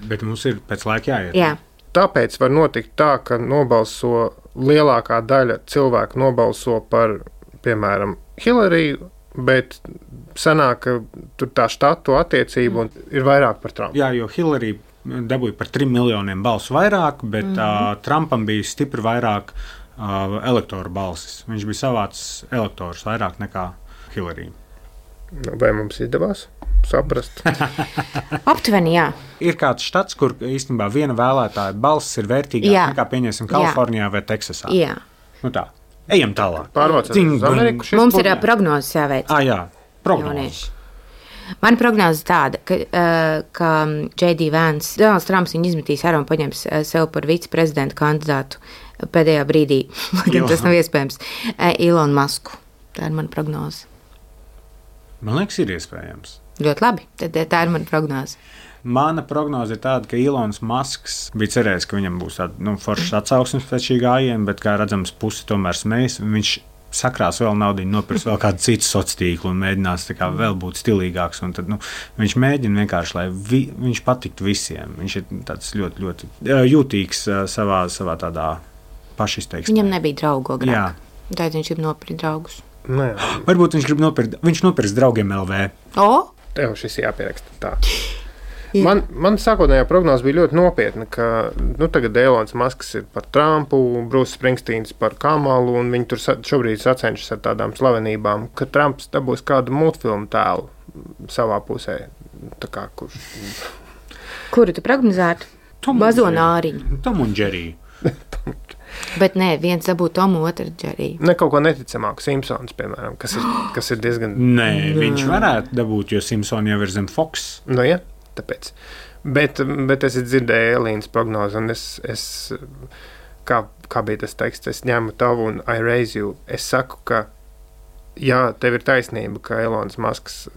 Bet mums ir pēc laika jāiet. Jā. Tāpēc var notikt tā, ka nobalso lielākā daļa cilvēku nobalso par, piemēram, Hillariju, bet sanāk, ka tur tā štatu attiecība ir vairāk par Trumpu. Jā, jo Hillarija dabūja par 3 miljoniem balsu vairāk, bet Trumpam bija stipri vairāk elektoru balsis. Viņš bija savāds elektorus vairāk nekā Hillarija. Vai mums izdevās saprast? Aptuveni, jā. Ir kāds štats, kur īstenībā viena vēlētāja balss ir vērtīgāka nekā, pieņemsim, Kalifornijā vai Teksasā. Jā. Tā. Ejam tālāk. Pārvācās uz Ameriku. Mums ir prognozes jāveic. Jā, prognozes. Mana prognoze ir tāda, ka J.D. Vance, Donalds Trumps viņu izmetīs ārā un paņems sev par viceprezidenta kandidātu pēdējā brīdī, lai gan tas nav iespējams, Elonu Masku. Tā ir mana prognoze. Man liekas, ir iespējams. Ļoti labi, tad tā ir mana prognoze. Mana prognoze ir tāda, ka Ilons Masks bija cerējis, ka viņam būs tāda foršas atsauksmes pēc šī gājiena, bet, kā redzams, pusi tomēr smējas. Viņš sakrās vēl naudu, nopirks vēl kādu citu sociālo tīklu un mēģinās vēl būt stilīgāks. Tad, viņš mēģina vienkārši, lai viņš patiktu visiem. Viņš ir tāds ļoti, ļoti jūtīgs savā tādā pašizteiksmē. Viņam nebija draugu agrāk. Tātad viņš grib nopirkt draugus. Varbūt viņš nopirks draugiem LV. Tev šis jāpieraksta tā. Man sākotnējā prognoze bija ļoti nopietna, ka tagad Elons Masks ir par Trumpu, Bruce Springsteens par Kamalu, un viņi tur šobrīd sacenšas ar tādām slavenībām, ka Trumps dabūs kādu multfilmu tēlu savā pusē. Kuru tu prognozētu? Bazonāriņu. Tom un Jerry. Bet nē, viens dabū Tomu, otru Jerry. Ne kaut ko neticamāku, Simpsons, piemēram, kas ir diezgan... Nē, viņš varētu dabūt, jo Simpsons jau ir zem Fox. Ja. Tāpēc. Bet es dzirdēju Elīnas prognozi, un es kā bija tas teksts, es ņemu tavu un I raise you. Es saku, ka jā, tev ir taisnība, ka Elons Masks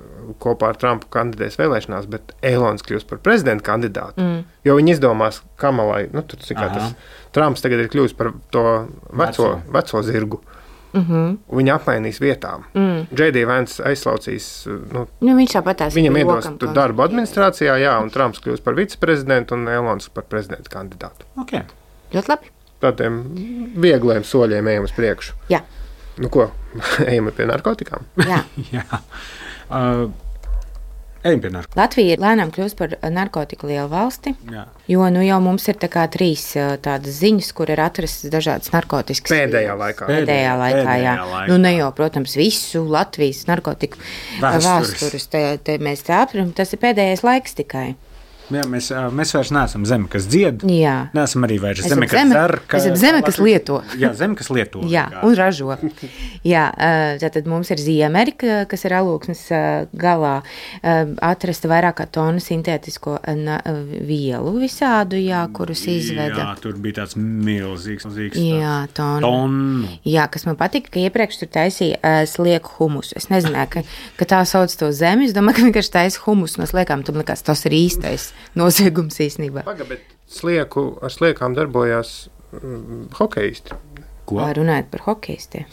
kopā ar Trumpu kandidēs vēlēšanās, bet Elons kļūs par prezidenta kandidātu, jo viņi izdomās Kamalai, Trumps tagad ir kļūst par to veco zirgu. Viņa apmainīs vietām. J.D. Vance aizslaucīs. Viņš tāpatās viņam iedos darbu administrācijā, un Trumps kļūs par viceprezidentu un Elons par prezidenta kandidātu. Okay. Ļoti labi. Tādiem viegliem soļiem ejam uz priekšu. Jā. Ko? Ejam pie narkotikām? Jā. Ejam pie narkotikām. Latvija lēnām kļūst par narkotiku lielu valsti, jo jau mums ir trīs tādas ziņas, kur ir atrastas dažādas narkotikas. Pēdējā laikā, jā. Ne jau, protams, visu Latvijas narkotiku vēstures te mēs aptveram, tas ir pēdējais laiks tikai. Jā, mēs vairs neesam zeme, kas dzied. Jā. Neesam arī vairs zeme, kas dzer. Mēs esam zeme, kas lieto. Jā, zeme, kas lieto. Jā, un ražo. Jā, tad mums ir Ziemeļa, kas ir Alūksnes galā, atrasta vairāk kā tonu sintētisko vielu visādu, kurus izveda. Jā, tur bija tāds milzīgs. Jā, tonu. Jā, kas man patika, ka iepriekš tur taisīja slieku humusu. Es nezināju, ka tā sauc to zemi. Es domāju, ka vienkārši taisa humusu no sliekām. Tam likās, tas ir īstais noziegums īstenībā. Bet ar sliekām darbojās hokejisti. Ko? Runājot par hokejistiem.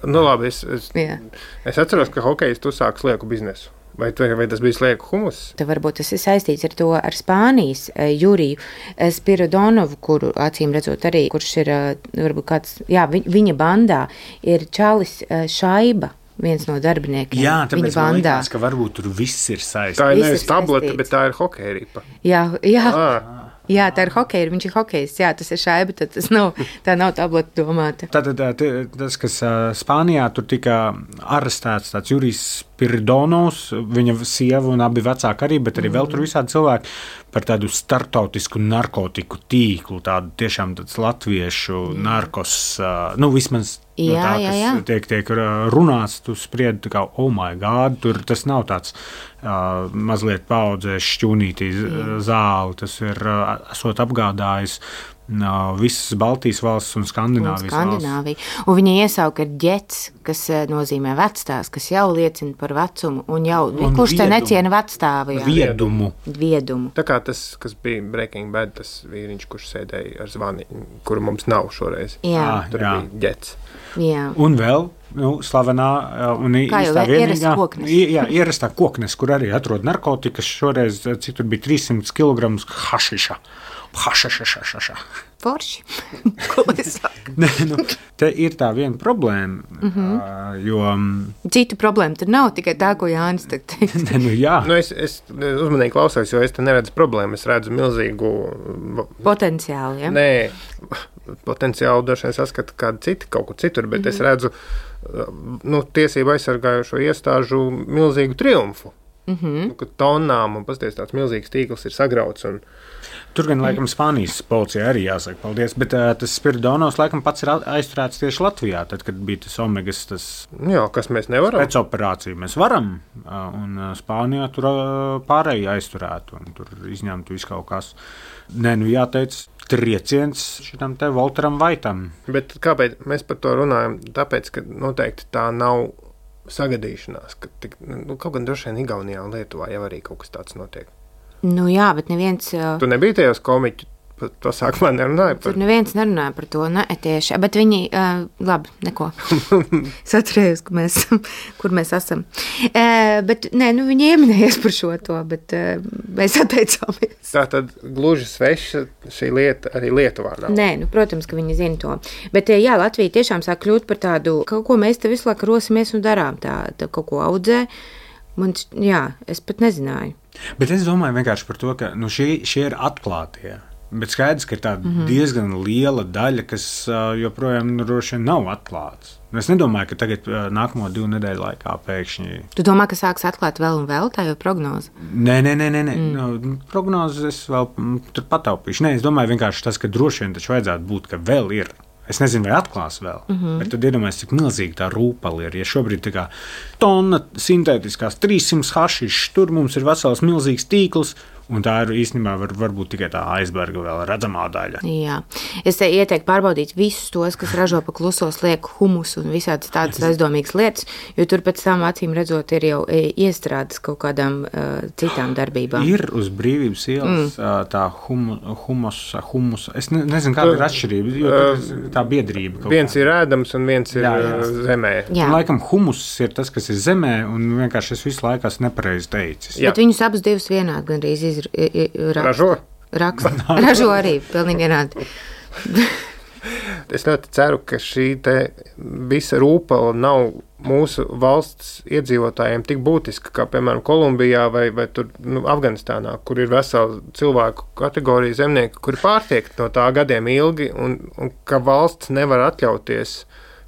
Labi, es atceros, ka hokejisti uzsāk slieku biznesu. Vai tas bija slieku humus? Tad varbūt tas ir saistīts ar to ar Spānijas Juriju Spiridonovu, kuru acīm redzot arī, kurš ir varbūt kāds, viņa bandā ir čalis Šaiba. Viens no darbiniekiem. Jā, tāpēc man liekas, ka varbūt tur viss ir saistīts. Tā ir nevis tablete, bet tā ir hokeja ripa. Jā, tā ir hokeja, viņš ir hokejs. Jā, tas ir Šaiba, tad tā nav tablete domāta. Tātad tas, kas Spānijā tur tika arestēts, tāds Jurijs Spiridonovs, viņa sieva un abi vecāki arī, bet arī vēl tur visādi cilvēki par tādu startautisku narkotiku tīklu, tādu tiešām tāds latviešu narkos, vismaz tiek runāts, tu spriedi kā, oh my God, tur tas nav tāds mazliet paudzēs šķūnītī zāli, tas ir esot apgādājis visas Baltijas valsts un Skandināvijas valsts. Un viņa iesauka ar ģets, kas nozīmē vectās, kas jau liecina par vecumu, un jau kurš te neciena vecstāvu. Viedumu. Tā kā tas, kas bija Breaking Bad, tas vīriņš, kurš sēdēja ar zvani, kuru mums nav šoreiz. Tur bija ģets. Jā. Un vēl slavenā un īstā vienīgā ierastā koknes, kur arī atrod narkotikas, šoreiz cik tur bija 300 kg hašiša. Forši. Ko es saku? Te ir tā viena problēma, jo... Citu problēmu tur nav, tikai tā, ko Jānis teica. Jā. Es uzmanīgi klausos, jo es te neredzu problēmu, es redzu milzīgu... Potenciālu, ja? Nē, potenciālu droši vien saskatu kādu citu, kaut kur citur, bet es redzu tiesību aizsargājušo iestāžu milzīgu triumfu. Tonnām un pasties tāds milzīgs tīkls ir sagrauts. Tur gan, laikam, Spānijas policija arī jāsaka paldies, bet tas Spiridonos, laikam, pats ir aizturēts tieši Latvijā, tad, kad bija tas Omegas, tas kas mēs nevaram. Pēc operāciju mēs varam, un Spānijā tur pārējie aizturētu, un tur izņemtu visu kaut kas. Nē, jāteic, trieciens šitam te Volteram Vaitam. Bet kāpēc mēs par to runājam? Tāpēc, ka noteikti tā nav sagadīšanās, ka kaut gan droši vien Igaunijā un Lietuvā jau arī kaut kas tāds notiek. Jā, bet neviens... Tu nebija tajos komiķu pasākumā nerunāja par... Tur neviens nerunāja par to, ne tieši, bet viņi, labi, neko. Saturējos, kur mēs esam. Bet, viņi ieminējies par šo to, bet mēs atteicāmies. Tā tad gluži sveša šī lieta arī Lietuvā nav. Nē, protams, ka viņi zina to. Bet, jā, Latvija tiešām sāk kļūt par tādu, kaut ko mēs te visu laiku rosimies un darām, tā kaut ko audzē. Es pat nezināju. Bet es domāju vienkārši par to, ka šie ir atklātie. Bet skaidrs, ka ir tāda diezgan liela daļa, kas joprojām droši vien nav atklāts. Es nedomāju, ka tagad nākamo 2 nedēļu laikā pēkšņi... Tu domā, ka sāks atklāt vēl un vēl, tā jau prognoze? Nē. Prognozes es vēl tur pataupīšu. Nē, es domāju vienkārši tas, ka droši vien taču vajadzētu būt, ka vēl ir. Es nezinu, vai atklās vēl, bet tad iedomājieties, cik milzīgi tā rūpali ir. Ja šobrīd tā kā tonna sintētiskās 300 hašišs, tur mums ir vesels milzīgs tīkls, un tā ir īstenībā varbūt tikai tā aizberga vēl redzamā daļa. Jā. Es ieteiktu pārbaudīt visus tos, kas ražo pa kluso slieku humusu un visādas tādas aizdomīgas lietas, jo tur pēc tam acīm redzot ir jau iestrādes kaut kādām citām darbībām. Ir uz Brīvības ielas tā humusa. Es nezinu, kāda ir atšķirība, jo tā biedrība. Viens ir ēdams un viens ir zemē. Jā. Un, laikam humus ir tas, kas ir zemē, un vienkārši es visu laiku esmu nepareizi teicis. Bet viņus abus divus vienādi gandrīz ražo arī, pilnīgi vienādi. Es ļoti ceru, ka šī te visa rūpala nav mūsu valsts iedzīvotājiem tik būtiska, kā piemēram Kolumbijā vai tur Afganistānā, kur ir vesela cilvēku kategorija zemnieku, kuri pārtiek no tā gadiem ilgi, un ka valsts nevar atļauties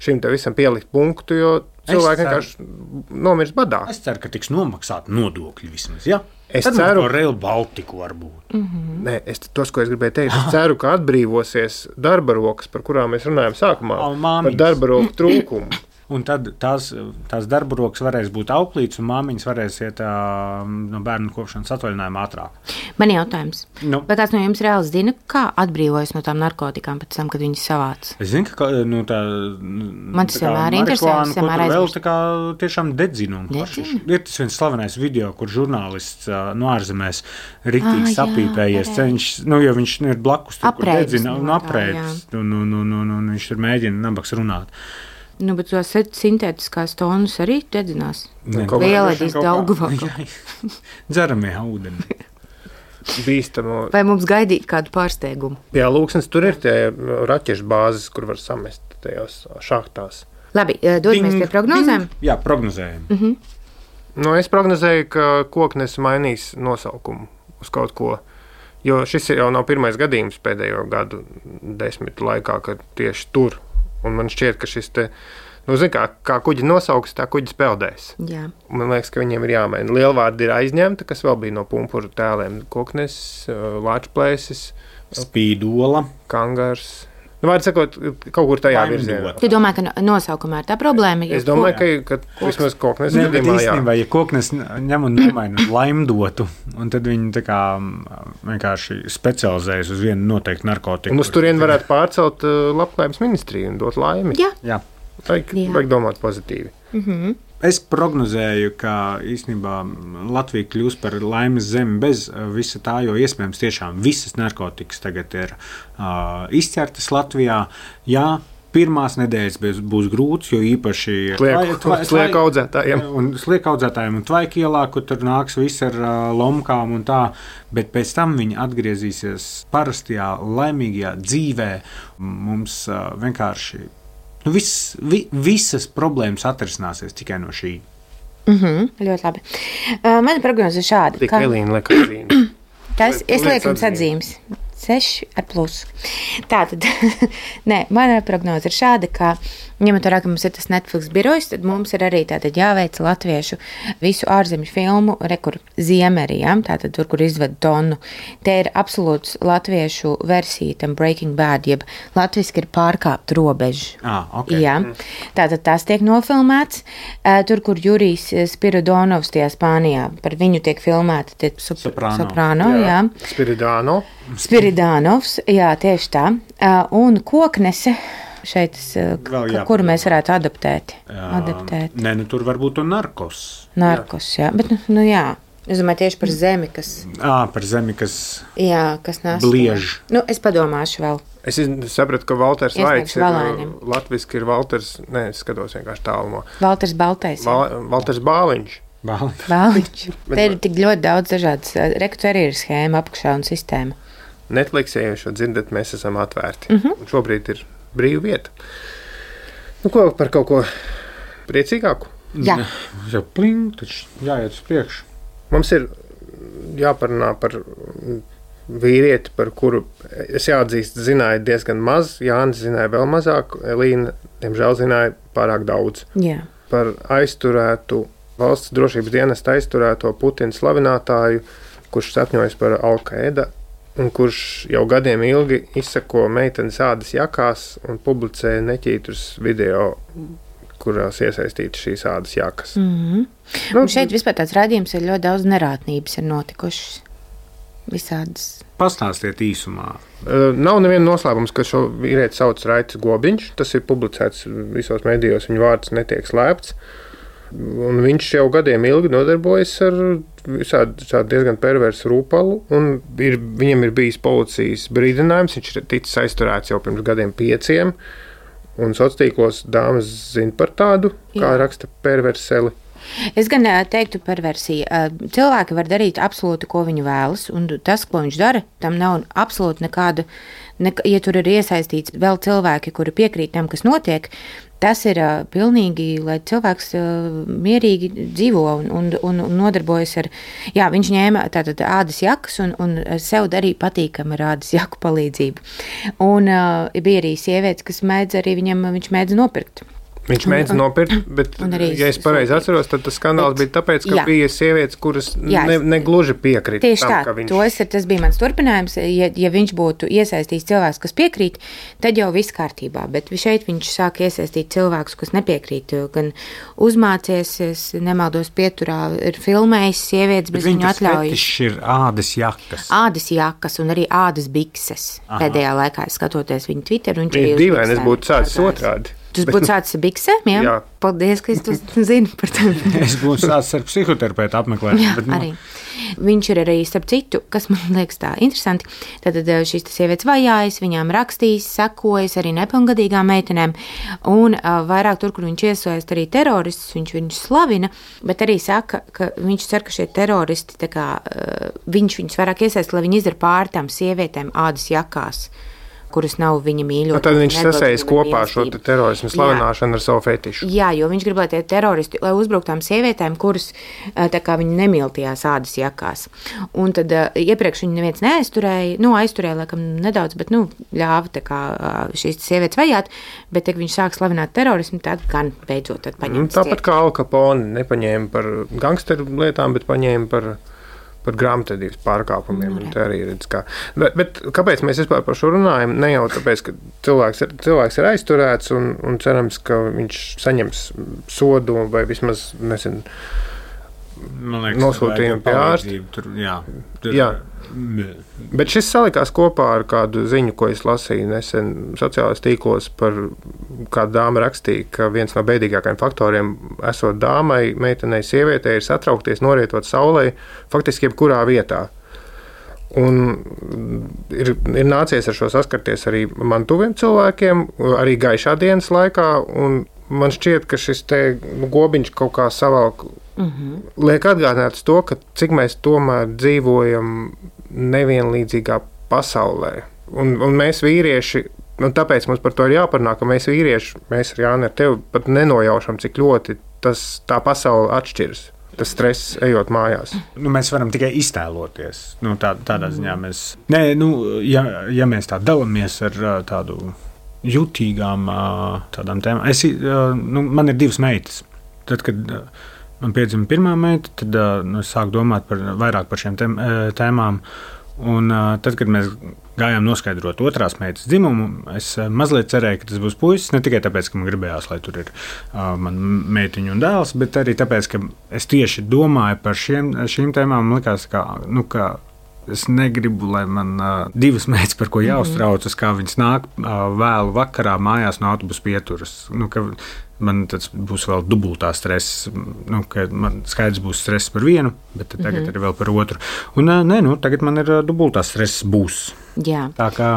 šim te visam pielikt punktu, jo cilvēki vienkārši nomirst badā. Es ceru, ka tiks nomaksāt nodokļi vismaz, ja? Es ceru, ka Rail Baltiku varbūt. Nē, tos, ko es gribēju teikt, es ceru, ka atbrīvosies darba rokas, par kurām mēs runājam sākumā, par darba roku trūkumu. Un tad tās darba rokas varēs būt auklītes, un māmiņas varēs iet no bērnu kopšanas atvaļinājuma ātrāk. Man jautājums. Vai kāds no jums reāli zina, kā atbrīvojas no tām narkotikām pēc tam, kad viņas savāc? Es zinu, ka tā man tas vienmēr interesē, vēl tā kā tiešām dedzina. Ir tas viens slavenais video, kur žurnālists no ārzemēs riktīgi sapīpējies, cenšas, jo viņš ir blakus tur, kur dedzina un aprēdis, un viņš tur mēģina nabaks runāt. Bet tos sintētiskās tonus arī dedzinās. Lielēdīs Daugavā. Dzeramie ūdeni. Bīstamo. Vai mums gaidīt kādu pārsteigumu? Jā, Lūksnes, tur ir tie raķešu bāzes, kur var samest tajos šahtās. Labi, dodamies pie prognozēm? Jā, prognozējam. Es prognozēju, ka Koknes mainīs nosaukumu uz kaut ko, jo šis jau nav pirmais gadījums pēdējo gadu 10 laikā, kad tieši tur. Un man šķiet, ka šis te, kā kuģi nosauks, tā kuģis peldēs. Jā. Man liekas, ka viņiem ir jāmaina. Lielvārdi ir aizņemta, kas vēl bija no pumpuru tēliem. Koknes, Lāčplēsis, Spīdola, Kangars. Vārds sakot, kaut kur tajā virzienā. Tu domā, ka nosaukumā ir tā problēma? Es domāju, ka vismaz Koknes gadījumā, jā. Ja Koknes ņem un nomaina laimdotu, un tad viņi tā kā vienkārši specializējas uz vienu noteiktu narkotiku. Un uz turien varētu pārcelt Labklājības ministriju un dot laimi. Jā. Vajag domāt pozitīvi. Es prognozēju, ka īstenībā Latvija kļūs par laimes zemi bez visa tā, jo iespējams tiešām visas narkotikas tagad ir izķertas Latvijā. Jā, pirmās nedēļas būs grūts, jo īpaši slieku audzētājiem. Un slieku audzētājiem un Tvaikielā, kur tur nāks viss ar lomkām un tā, bet pēc tam viņi atgriezīsies parastajā, laimīgajā dzīvē. Mums vienkārši visas problēmas atrisināsies tikai no šī. Ļoti labi. Mana prognoze ir šāda. Tik Elīna liek atzīmes. Es lieku jums atzīmes. 6 ar plusu. Tātad, mana prognoze ir šāda, ka, ņemot vērā, ka mums ir tas Netflix birojs, tad mums ir arī tātad jāveic latviešu visu ārzemju filmu, kur Ziemeri, ja? Tātad tur, kur izved tonu. Te ir absolūts latviešu versija tam Breaking Bad, jeb latviski ir pārkāpt robežu. Okay. Jā. Tātad tas tiek nofilmēts. Tur, kur Jurijs Spiridonovs tajā Spānijā, par viņu tiek filmēta Soprano, jā. Spiridonovs, jā, tieši tā. Un Koknese šeit, kuru mēs varētu adaptēt. Nē, tur varbūt to Narkos. Narkos, jā. Bet, jā. Es domāju tieši par zemi, kas... Par zemi, kas... Jā, kas nāc. Bliež. Es padomāšu vēl. Es sapratu, ka Valters Vaits ir latviski ir Valters... Nē, es skatos vienkārši tālumo. Valters Baltais. Valters Bāliņš. Bāliņš. Te ir tik ļoti daudz dažādas. Reku arī ir schēma, apakšā un sistēma. Netflix, ja jūs šo dzirdat, mēs esam atvērti. Un šobrīd ir brīva vieta. Ko par kaut ko priecīgāku? Jā. Jau pling, taču jāiet uz priekšu. Mums ir jāparunā par vīrieti, par kuru es jāatzīst, zināju diezgan maz. Jānis zināja vēl mazāk, Elīna, diemžēl, zināja pārāk daudz. Jā. Par aizturētu, valsts drošības dienesta aizturēto Putina slavinātāju, kurš sapņojas par Al-Qaeda un kurš jau gadiem ilgi izsako meitenes ādas jakās un publicē neķītrus video, kurās iesaistītas šīs ādas jakas. Un šeit vispār tāds rādījums ir ļoti daudz nerātnības ir notikušas. Visādas. Pastāstiet īsumā. Nav neviena noslēpums, ka šo vīrieti sauc Raitis Gobiņš. Tas ir publicēts visos medijos, viņa vārds netiek slēpts. Un viņš jau gadiem ilgi nodarbojas ar visādu diezgan perversu rūpalu. Viņam ir bijis policijas brīdinājums, viņš ir ticis aizturēts jau pirms gadiem 5. Un sociālos dāmas zina par tādu, kā raksta perverseli. Es gan teiktu perversiju. Cilvēki var darīt absolūti, ko viņi vēlas, un tas, ko viņš dara, tam nav absolūti nekāda, ja tur ir iesaistīts vēl cilvēki, kuri piekrīt tam, kas notiek, tas ir pilnīgi, lai cilvēks mierīgi dzīvo un nodarbojas ar, viņš ņēma tātad ādas jakas un sev darīja patīkam ar ādas jaku palīdzību. Un bija arī sievietes, kas viņš mēdz nopirkt. Viņš mēģina nopirkt, bet, ja es pareizi atceros, tad tas skandāls bija tāpēc, ka bija sievietes, kuras negluži piekrita. Tieši tā, tas bija mans turpinājums. Ja viņš būtu iesaistījis cilvēks, kas piekrīt, tad jau viss kārtībā. Bet šeit viņš sāk iesaistīt cilvēkus, kas nepiekrīt. Gan uzmācies, es nemaldos pieturā, ir filmējis sievietes bez viņu atļaujas. Viņš ir ādas jakas. Ādas jakas un arī ādas bikses. Pēdējā laikā, skatoties viņu Twitter. Dīvaini, es būtu sācis otrādi. Tas būtu sācis biksēm, jā? Jā. Paldies, ka es to zinu par to. Es būtu sācis ar psihoterapeitu apmeklēt. Jā, arī. Viņš ir arī, starp citu, kas man liekas tā interesanti, tad šīs sievietes vajājas, viņām rakstīs, sekojas arī nepilngadīgām meitenēm, un vairāk tur, kur viņš iesaist arī teroristus, viņš viņus slavina, bet arī saka, ka viņš cer, ka šie teroristi, tā kā, viņš viņus vairāk iesaist, lai viņi izdara pār tām sievietēm ādas jakās, kuras nav viņa mīļotās. Tad viņš sasaist kopā šo terorismu slavināšanu ar savu fetišu. Jā, jo viņš grib, lai tie teroristi, lai uzbruktām sievietēm, kuras tā kā viņi nemīl tajās ādas jakās. Un tad iepriekš viņu neviens neaizturēja, aizturēja laikam nedaudz, bet ļāva tā kā šīs sievietes vajāt, bet ja viņš sāk slavināt terorismu, tad gan beidzot tad paņemt. Tāpat kā Al Capone nepaņēma par gangsteru lietām, bet paņēma par grāmatvedības pārkāpumiem. Arī redz, bet kāpēc mēs vispār par šo runājam? Ne jau tāpēc, ka cilvēks ir aizturēts un cerams, ka viņš saņems sodu vai vismaz nosūtījumu pie ārsta. Jā. Bet šis salikās kopā ar kādu ziņu, ko es lasīju nesen sociālajos tīklos par kādu dāmu rakstīja, ka viens no bēdīgākajiem faktoriem esot dāmai, meitenei, sievietei ir satraukties, norietot saulē, faktiski jebkurā vietā. Un ir nācies ar šo saskarties arī man tuviem cilvēkiem, arī gaišā dienas laikā, un man šķiet, ka šis te Gobiņš kaut kā savalk liek atgādināt to, ka cik mēs tomēr dzīvojam nevienlīdzīgā pasaulē. Un mēs vīrieši, un tāpēc mums par to ir jāparunā, ka mēs vīrieši, mēs ar Jāni ar tevi pat nenojaušam, cik ļoti tā pasaule atšķiras. tas stress ejot mājās. Mēs varam tikai iztēloties. Tādā ziņā mēs. Nē, ja mēs tā dalāmies ar tādu jutīgām tādām tēmām. Man ir 2 meitas. Tad, kad man piedzima pirmā meita, tad es sāku domāt vairāk par šiem tēmām. Un tad, kad mēs gājām noskaidrot otrās meitas dzimumu, es mazliet cerēju, ka tas būs puisis. Ne tikai tāpēc, ka man gribējās, lai tur ir mana meitiņa un dēls, bet arī tāpēc, ka es tieši domāju par šīm tēmām. Man likās, ka es negribu, lai man 2 meitas, par ko jāuztraucas, kā viņas nāk vēlu vakarā mājās no autobusa pieturas. Man tas būs vēl dubultā stress. Man skaidrs būs stress par vienu, bet tagad ir vēl par otru. Un tagad man ir dubultā stress būs. Jā. Tā kā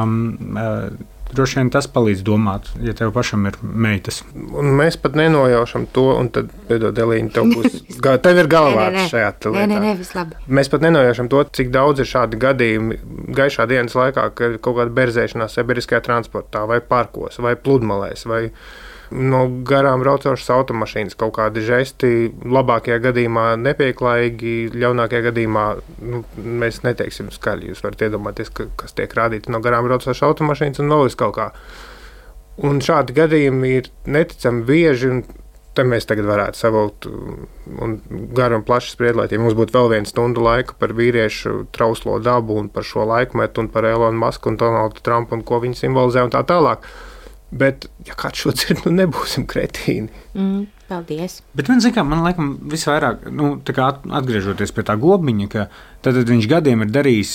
droši vien tas palīdz domāt, ja tev pašam ir meitas. Un mēs pat nenojaušam to, un tad, Delīna, tev ir galvārds šajā lietā. Nē, viss labi. Mēs pat nenojaušam to, cik daudz ir šādi gadījumi gaišā dienas laikā, ka ir kaut kāda berzēšanās sabiedriskajā transportā, vai parkos, vai pludmalēs, vai no garām braucošas automašīnas, kaut kādi žesti, labākajā gadījumā nepieklājīgi, ļaunākajā gadījumā, mēs neteiksim skaļi. Jūs varat iedomāties, kas tiek rādīts no garām braucošas automašīnas un vēl kaut kā. Un šādi gadījumi ir neticami bieži, un te mēs tagad varētu savilkt un garu un plaši spriedlēt, ja mums būtu vēl 1 stundu laika par vīriešu trauslo dabu un par šo laikmetu un par Elonu Musku un Donaldu Trumpu un ko viņi simbolizē un tā tālāk. Bet, ja kāds šo dzird, nebūsim kretīni. Paldies. Bet man laikam visvairāk, atgriežoties pie tā gobiņa, ka tad viņš gadiem ir darījis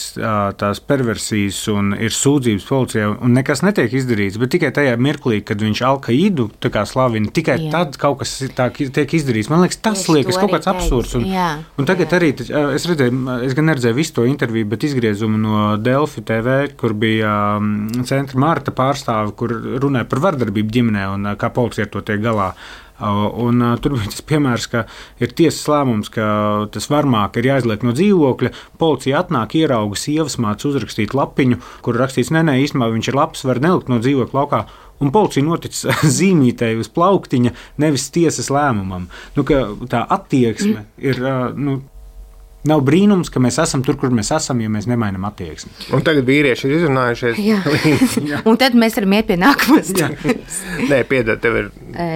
tās perversijas un ir sūdzības policijā, un nekas netiek izdarīts, bet tikai tajā mirklī, kad viņš Al-Qaidu slavina, tikai tad kaut kas tiek izdarīts. Man liekas, tas liekas kaut kāds absurds. Un tagad arī, es gan neredzēju visu to interviju, bet izgriezumu no Delfi TV, kur bija centra Marta pārstāve, kur runāja par vardarbību ģimenē un kā policija ar to tiek galā. Un tur bija tas piemērs, ka ir tiesas lēmums, ka tas varmāk ir jāizliek no dzīvokļa. Policija atnāk, ierauga sievas mācu uzrakstīt lapiņu, kur rakstīts, nē, īstenībā viņš ir labs, var nelikt no dzīvokļa laukā. Un policija notic zīmītēji uz plauktiņa, nevis tiesas lēmumam. Tā attieksme ir. Nav brīnums, ka mēs esam tur, kur mēs esam, ja mēs nemainām attieksmi. Un tagad vīrieši ir izrunājušies. Jā. Un tad mēs varam iet pie nākamās. Nē, piedod, tev ir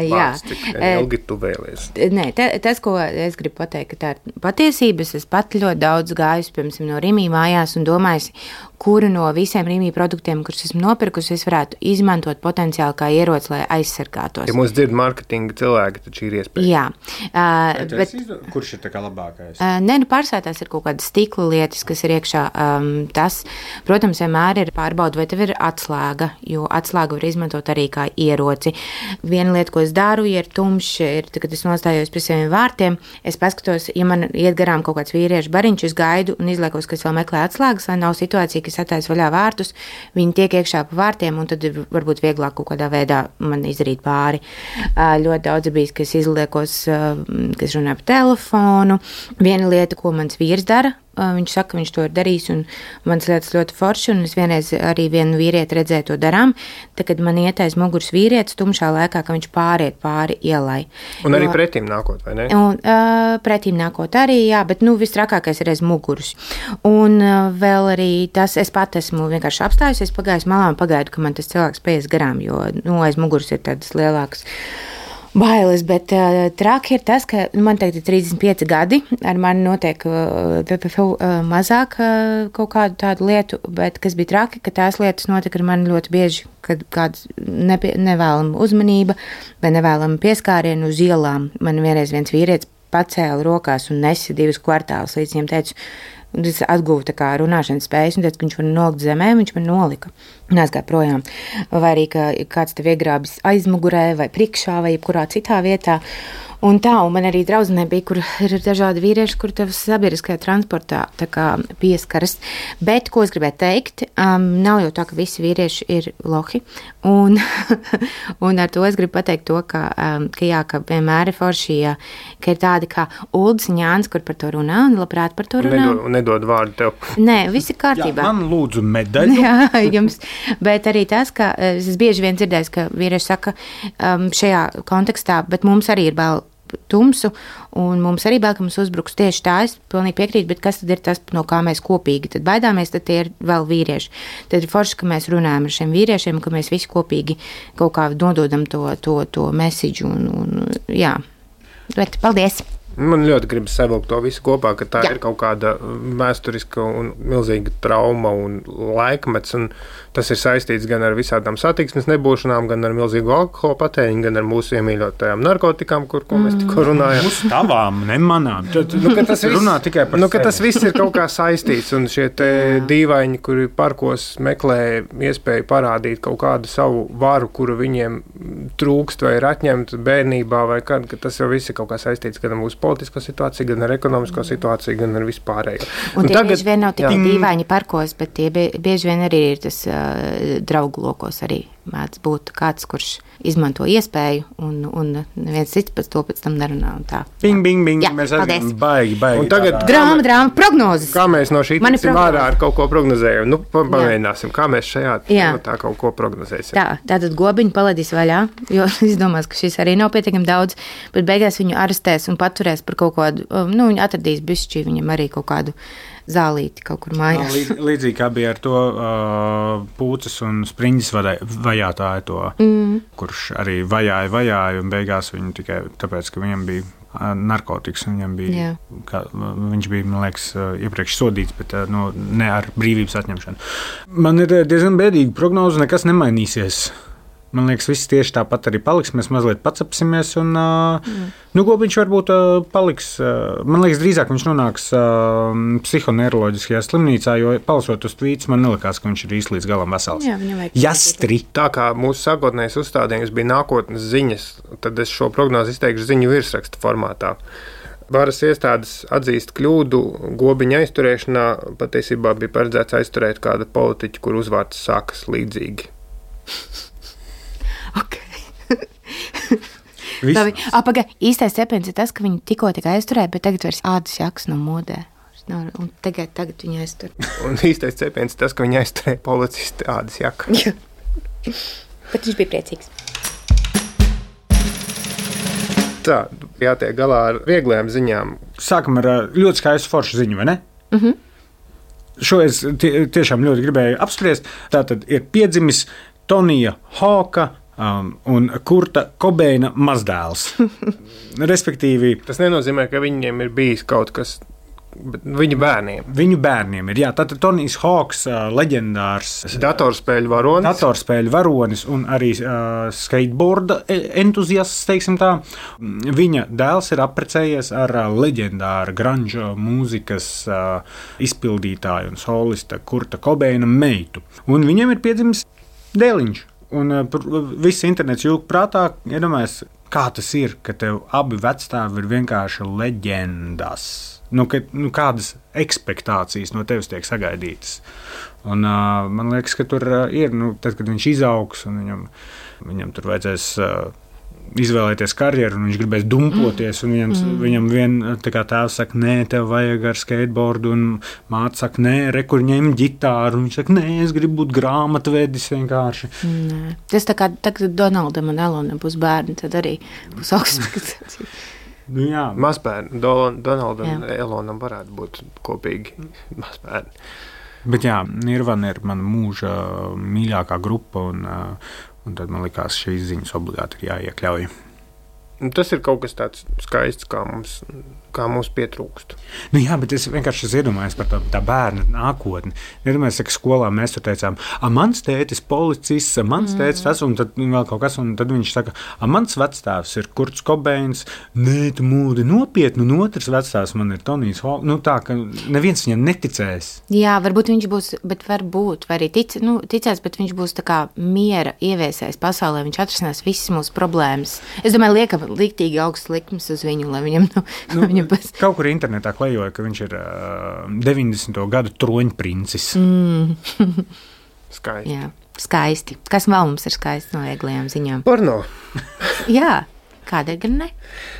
vārds, cik ilgi tu vēlies. Nē, tas, ko es gribu pateikt, ka tā ir patiesības. Es pat ļoti daudz gājusi, piemēram, no Rimī mājās un domājusi, kuru no visiem Rimī produktiem, kurus esmu nopirkusi, es varētu izmantot potenciāli kā ieroci, lai aizsargātos. Ja mums dzird marketinga cilvēki, tad šī ir iespēja. Jā. Kurš ir tā kā labākais? Tās ir kaut kādas stikla lietas, kas ir iekšā. Tas, protams, vienmēr ir pārbauda, vai tev ir atslēga, jo atslēgu var izmantot arī kā ieroci. Viena lieta, ko es daru, ja ir tumšs, kad es nostājos pie saviem vārtiem, es paskatos, ja man iet garām kaut kāds vīriešu bariņš, es gaidu un izliekos, ka es vēl meklē atslēgas, lai nav situācija, ka es attāju vaļā vārtus, viņi tiek iekšā pa vārtiem, un tad ir varbūt vieglāk kaut kādā veidā man izdarīt pāri. Ļoti daudz ir bijis, ka es izliekos, ka es runāju pa telefonu. Viena lieta, ko mans vīrs dara, viņš saka, ka viņš to ir darījis, un mans lietas ļoti forši, un es vienreiz arī vienu vīrieti redzēju to darām, tad, kad man iet aiz muguras vīrietis tumšā laikā, ka viņš pāriet pāri ielai. Un arī pretīm nākot, vai ne? Un pretīm nākot arī, jā, bet, vistrakākais ir aiz muguras. Un vēl arī tas, es pat esmu vienkārši apstājusies, pagājus malā un pagaidu, ka man tas cilvēks paies garām, jo, aiz muguras ir tādas lielākas bailes, bet traki ir tas, ka man tagad ir 35 gadi, ar mani notiek mazāk kaut kādu tādu lietu, bet kas bija traki, ka tās lietas notika ar mani ļoti bieži, kad kāda nevēlama uzmanība vai nevēlama pieskāriena uz ielām. Man vienreiz viens vīrietis pacēla rokās un nesa 2 kvartālus, līdz viņam teicu, es atguvu tā kā runāšanas spējas un teicu, ka viņš var nolikt zemē, viņš man nolika. Un aizgāja projām. Vai arī, ka kāds tev iegrābis aizmugurē vai priekšā vai jebkurā citā vietā. Un man arī draudzenē bija, kur ir dažādi vīrieši, kur tev sabiedriskajā transportā tā kā pieskaras. Bet, ko es gribēju teikt, nav jau tā, ka visi vīrieši ir lohi. Un ar to es gribu pateikt to, ka vienmēr ir forši, ka ir tādi kā Uldis Ņāns, kur par to runā un labprāt par to runā. Nedod vārdu tev. Nē, viss ir kārtībā. Jā, man lūdzu medaļu. Jā, jums. Bet arī tas, ka es bieži vien dzirdēju, ka vīrieši saka šajā kontekstā, bet mums arī ir tumsu, un mums arī bail, ka mums uzbruks tieši tā, es pilnīgi piekrītu, bet kas tad ir tas, no kā mēs kopīgi tad baidāmies, tad tie ir vēl vīrieši. Tad ir forši, ka mēs runājam ar šiem vīriešiem, ka mēs visi kopīgi kaut kā nododam to message, un jā, bet paldies! Man ļoti gribas savilkt to visu kopā, ka tā ir kaut kāda vēsturiska un milzīga trauma un laikmets, un tas ir saistīts gan ar visādām satiksmes nebūšanām, gan ar milzīgu alkohola patēriņu, gan ar mūsu iemīļotajām narkotikām, ko mēs tikko runājam. Uz tavām, ne manām. Tas runā tikai par sevi. Tas viss ir kaut kā saistīts, un šie te dīvaini, kuri parkos meklē iespēju parādīt kaut kādu savu varu, kuru viņiem trūkst vai ir atņemta bērnībā, vai kad, ka tas jau viss ir kaut kā saistīts gan ar mūsu politisko situāciju, gan ar ekonomisko situāciju, gan ar vispārējo. Un tie bieži vien nav tikai dīvaini parkos, bet tie bieži vien arī ir tas draugu lokos arī mēdz būt kāds, kurš izmanto iespēju, un neviens cits pēc tam nerunā. Un tā. Bing, bing, bing. Jā, mēs arī baigi. Un tagad drāma, prognozes. Kā mēs no šī tiksim ārā ar kaut ko prognozējam? Nu, pamēģināsim, kā mēs šajā tā kaut ko prognozēsim. Tātad gobiņu paladīs vaļā, jo es domāju, ka šis arī nav pietiekami daudz, bet beigās viņu arestēs un paturēs par kaut kādu, viņi atradīs bišķi viņam arī kaut kādu zālīti kaut kur mājās. Līdzīgi kā bija ar to Pūces un Spriņģis vajātāju to, kurš arī vajāja, un beigās viņu tikai tāpēc, ka viņam bija narkotikas, un viņam bija, viņš bija, man liekas, iepriekš sodīts, bet ne ar brīvības atņemšanu. Man ir diezgan bēdīga prognoze, nekas nemainīsies. Man liekas, viss tieši tāpat arī paliks. Mēs mazliet pacapsimies, un Gobiņš varbūt paliks. Man liekas, drīzāk viņš nonāks psihoneiroloģiskajā slimnīcā, jo palasot uz tvītus, man nelikās, ka viņš ir īsti līdz galam vesels. Jastri! Tā kā mūsu sākotnējais uzstādījums bija nākotnes ziņas, tad es šo prognozi izteikšu ziņu virsraksta formātā. Varas iestādes atzīst kļūdu Gobiņa aizturēšanā. Patiesībā bija paredzēts aizturēt kādu politiķu, kur uzvārds sākas līdzīgi. Pagaid, īstais cepiens ir tas, ka viņi tikko aizturēja, bet tagad vairs ādas jakas nav modē. Un tagad viņi aiztur. Un īstais cepiens ir tas, ka viņi aizturēja policisti ādas jaku. Bet viņš bija priecīgs. Tā, jātiek galā ar vieglajām ziņām. Sākam ar ļoti skaistu foršu ziņu, vai ne? Šo es tiešām ļoti gribēju apspriest. Tātad ir piedzimis Tonija Hawka un Kurta Kobeina mazdēls. Respektīvi, tas nenozīmē, ka viņiem ir bijis kaut kas, bet viņu bērniem. Viņu bērniem ir, jā. Tātad Tonijs Hawks, leģendārs datorspēļu varonis un arī skateboarda entuziasts, teiksim tā. Viņa dēls ir apprecējies ar leģendāra grunge mūzikas izpildītāju un solista Kurta Kobeina meitu. Un viņiem ir piedzimis dēliņš. Un viss internets jūg prātā, iedomājies, kā tas ir, ka tev abi vecstāvi ir vienkārši leģendas. Kādas ekspektācijas no tevis tiek sagaidītas. Un man liekas, ka tur ir, tad, kad viņš izaugs un viņam tur vajadzēs izvēlēties karjeru, un viņš gribēs dumpoties, un viņam tēvs saka, nē, tev vajag ar skateboardu, un māte saka, nē, kur ņem ģitāru, un viņš saka, nē, es gribu būt grāmatvedis vienkārši. Nē. Tas tā kā tagad Donaldam un Elonam būs bērni, tad arī būs augsts. Mazbērni, Donaldam un Elonam varētu būt kopīgi mazbērni. Bet jā, Nirvana ir mana mūža mīļākā grupa, un tad man likās šīs ziņas obligāti ir jāiekļauj. Tas ir kaut kas tāds skaists, kā mums pietrūkst. Jā, bet es vienkārši iedomājos par tā bērna nākotni. Iedomājos, ka skolā mēs tur teicām, mans tētis policists, mans tētis tas, un tad vēl kaut kas, un tad viņš saka, mans vecstāvs ir Kurts Kobeins, nē, tu mūdi nopietni, un otrs vecstāvs man ir Tonijs Hawks. Tā, ka neviens viņam neticēs. Jā, varbūt viņš būs, bet varbūt, vai arī ticēs, bet viņš būs tā kā miera ieviesējis pasaulē, viņš atrisinās visas mūsu problēmas. Es domāju, liktīgi augsts likums uz viņu, lai viņam kaut kur internetā klejoja, ka viņš ir 90. gadu troņprincis. Skaisti. Jā, skaisti. Kas vēl mums ir skaisti no vieglajām ziņām? Porno. Jā, kādēļ gan ne?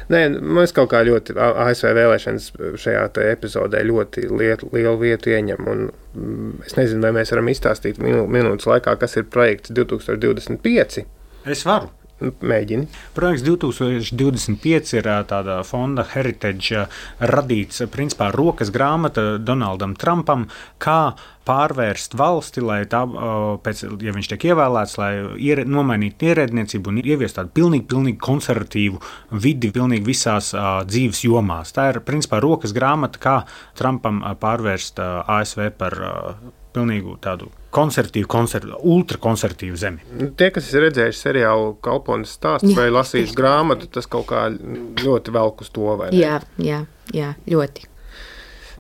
Nē, mēs kaut kā ļoti ASV vēlēšanas šajā epizodē ļoti lielu vietu ieņem, un es nezinu, vai mēs varam izstāstīt minūtes laikā, kas ir projekts 2025. Es varu. Mēģini. Projekts 2025 ir tāda fonda Heritage radīts, principā rokas grāmata Donaldam Trumpam, kā pārvērst valsti, lai tā, ja viņš tiek ievēlēts, lai nomainītu ierēdniecību un ieviest tādu pilnīgi konservatīvu vidi pilnīgi visās dzīves jomās. Tā ir, principā, rokas grāmata, kā Trumpam pārvērst ASV par pilnīgu tādu ultrakonservatīvu zemi. Tie, kas ir redzējuši seriālu Kalpones stāsts vai lasījuši grāmatu, tas kaut kā ļoti velk uz to, vai ne? Jā, ļoti.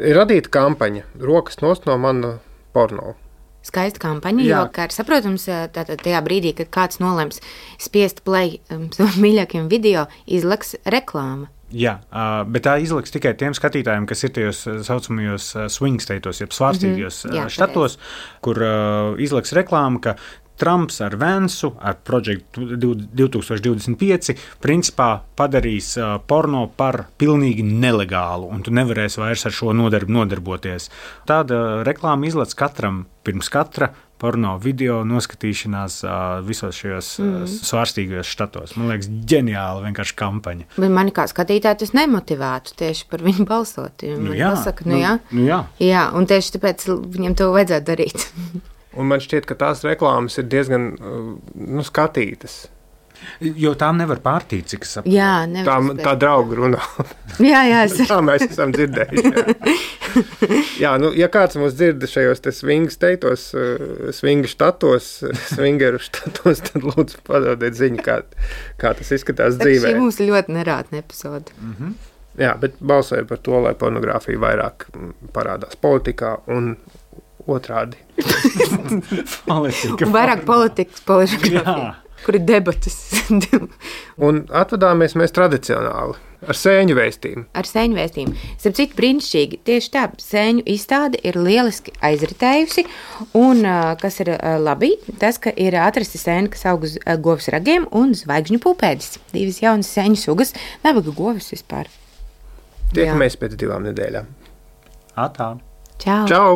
Ir radīta kampaņa Rokas nost no mana porno. Skaista kampaņa, jo, kā ir saprotams, tātad tajā brīdī, kad kāds nolems spiest play savam mīļākajam video, izlaks reklāma. Jā, bet tā izliks tikai tiem skatītājiem, kas ir tajos saucamajos swing statos, jeb svārstīgajos štatos, kur izliks reklāma, ka Trumps ar Vansu, ar Project 2025, principā padarīs porno par pilnīgi nelegālu, un tu nevarēsi vairs ar šo nodarboties. Tāda reklāma izlec katram pirms katra porno video noskatīšanās visos šajos svārstīgajos štatos. Man liekas, ģeniāla vienkārši kampaņa. Bet mani kā skatītāji tas nemotivētu tieši par viņu balsot. Pasaka, jā, un tieši tāpēc viņam to vajadzētu darīt. Un man šķiet, ka tās reklāmas ir diezgan skatītas. Jo tām nevar pārtīt, cik es saprotu. Jā, nevar. Tā drauga runā. Jā. Tā mēs esam dzirdējuši. Jā, ja kāds mūs dzird šajos te swing statos, swingeru štatos, tad lūdzu padodiet ziņu, kā tas izskatās dzīvē. Šī mums ļoti nerātna epizode. Jā, bet balsoju par to, lai pornogrāfija vairāk parādās politikā un otrādi. Vairāk politikas pornogrāfija, kur ir debatas. Un atvadāmies mēs tradicionāli ar sēņu vēstījumu. Starp citu, brīnišķīgi. Tieši tā, sēņu izstāde ir lieliski aizritējusi. Un, kas ir labi, tas, ka ir atrasti sēni, kas aug uz govs ragiem un zvaigžņu pupēdis. Divas jaunas sēņu sugas, nabaga govs vispār. Tiekamies pēc 2 nedēļām. Atā. Čau! Čau!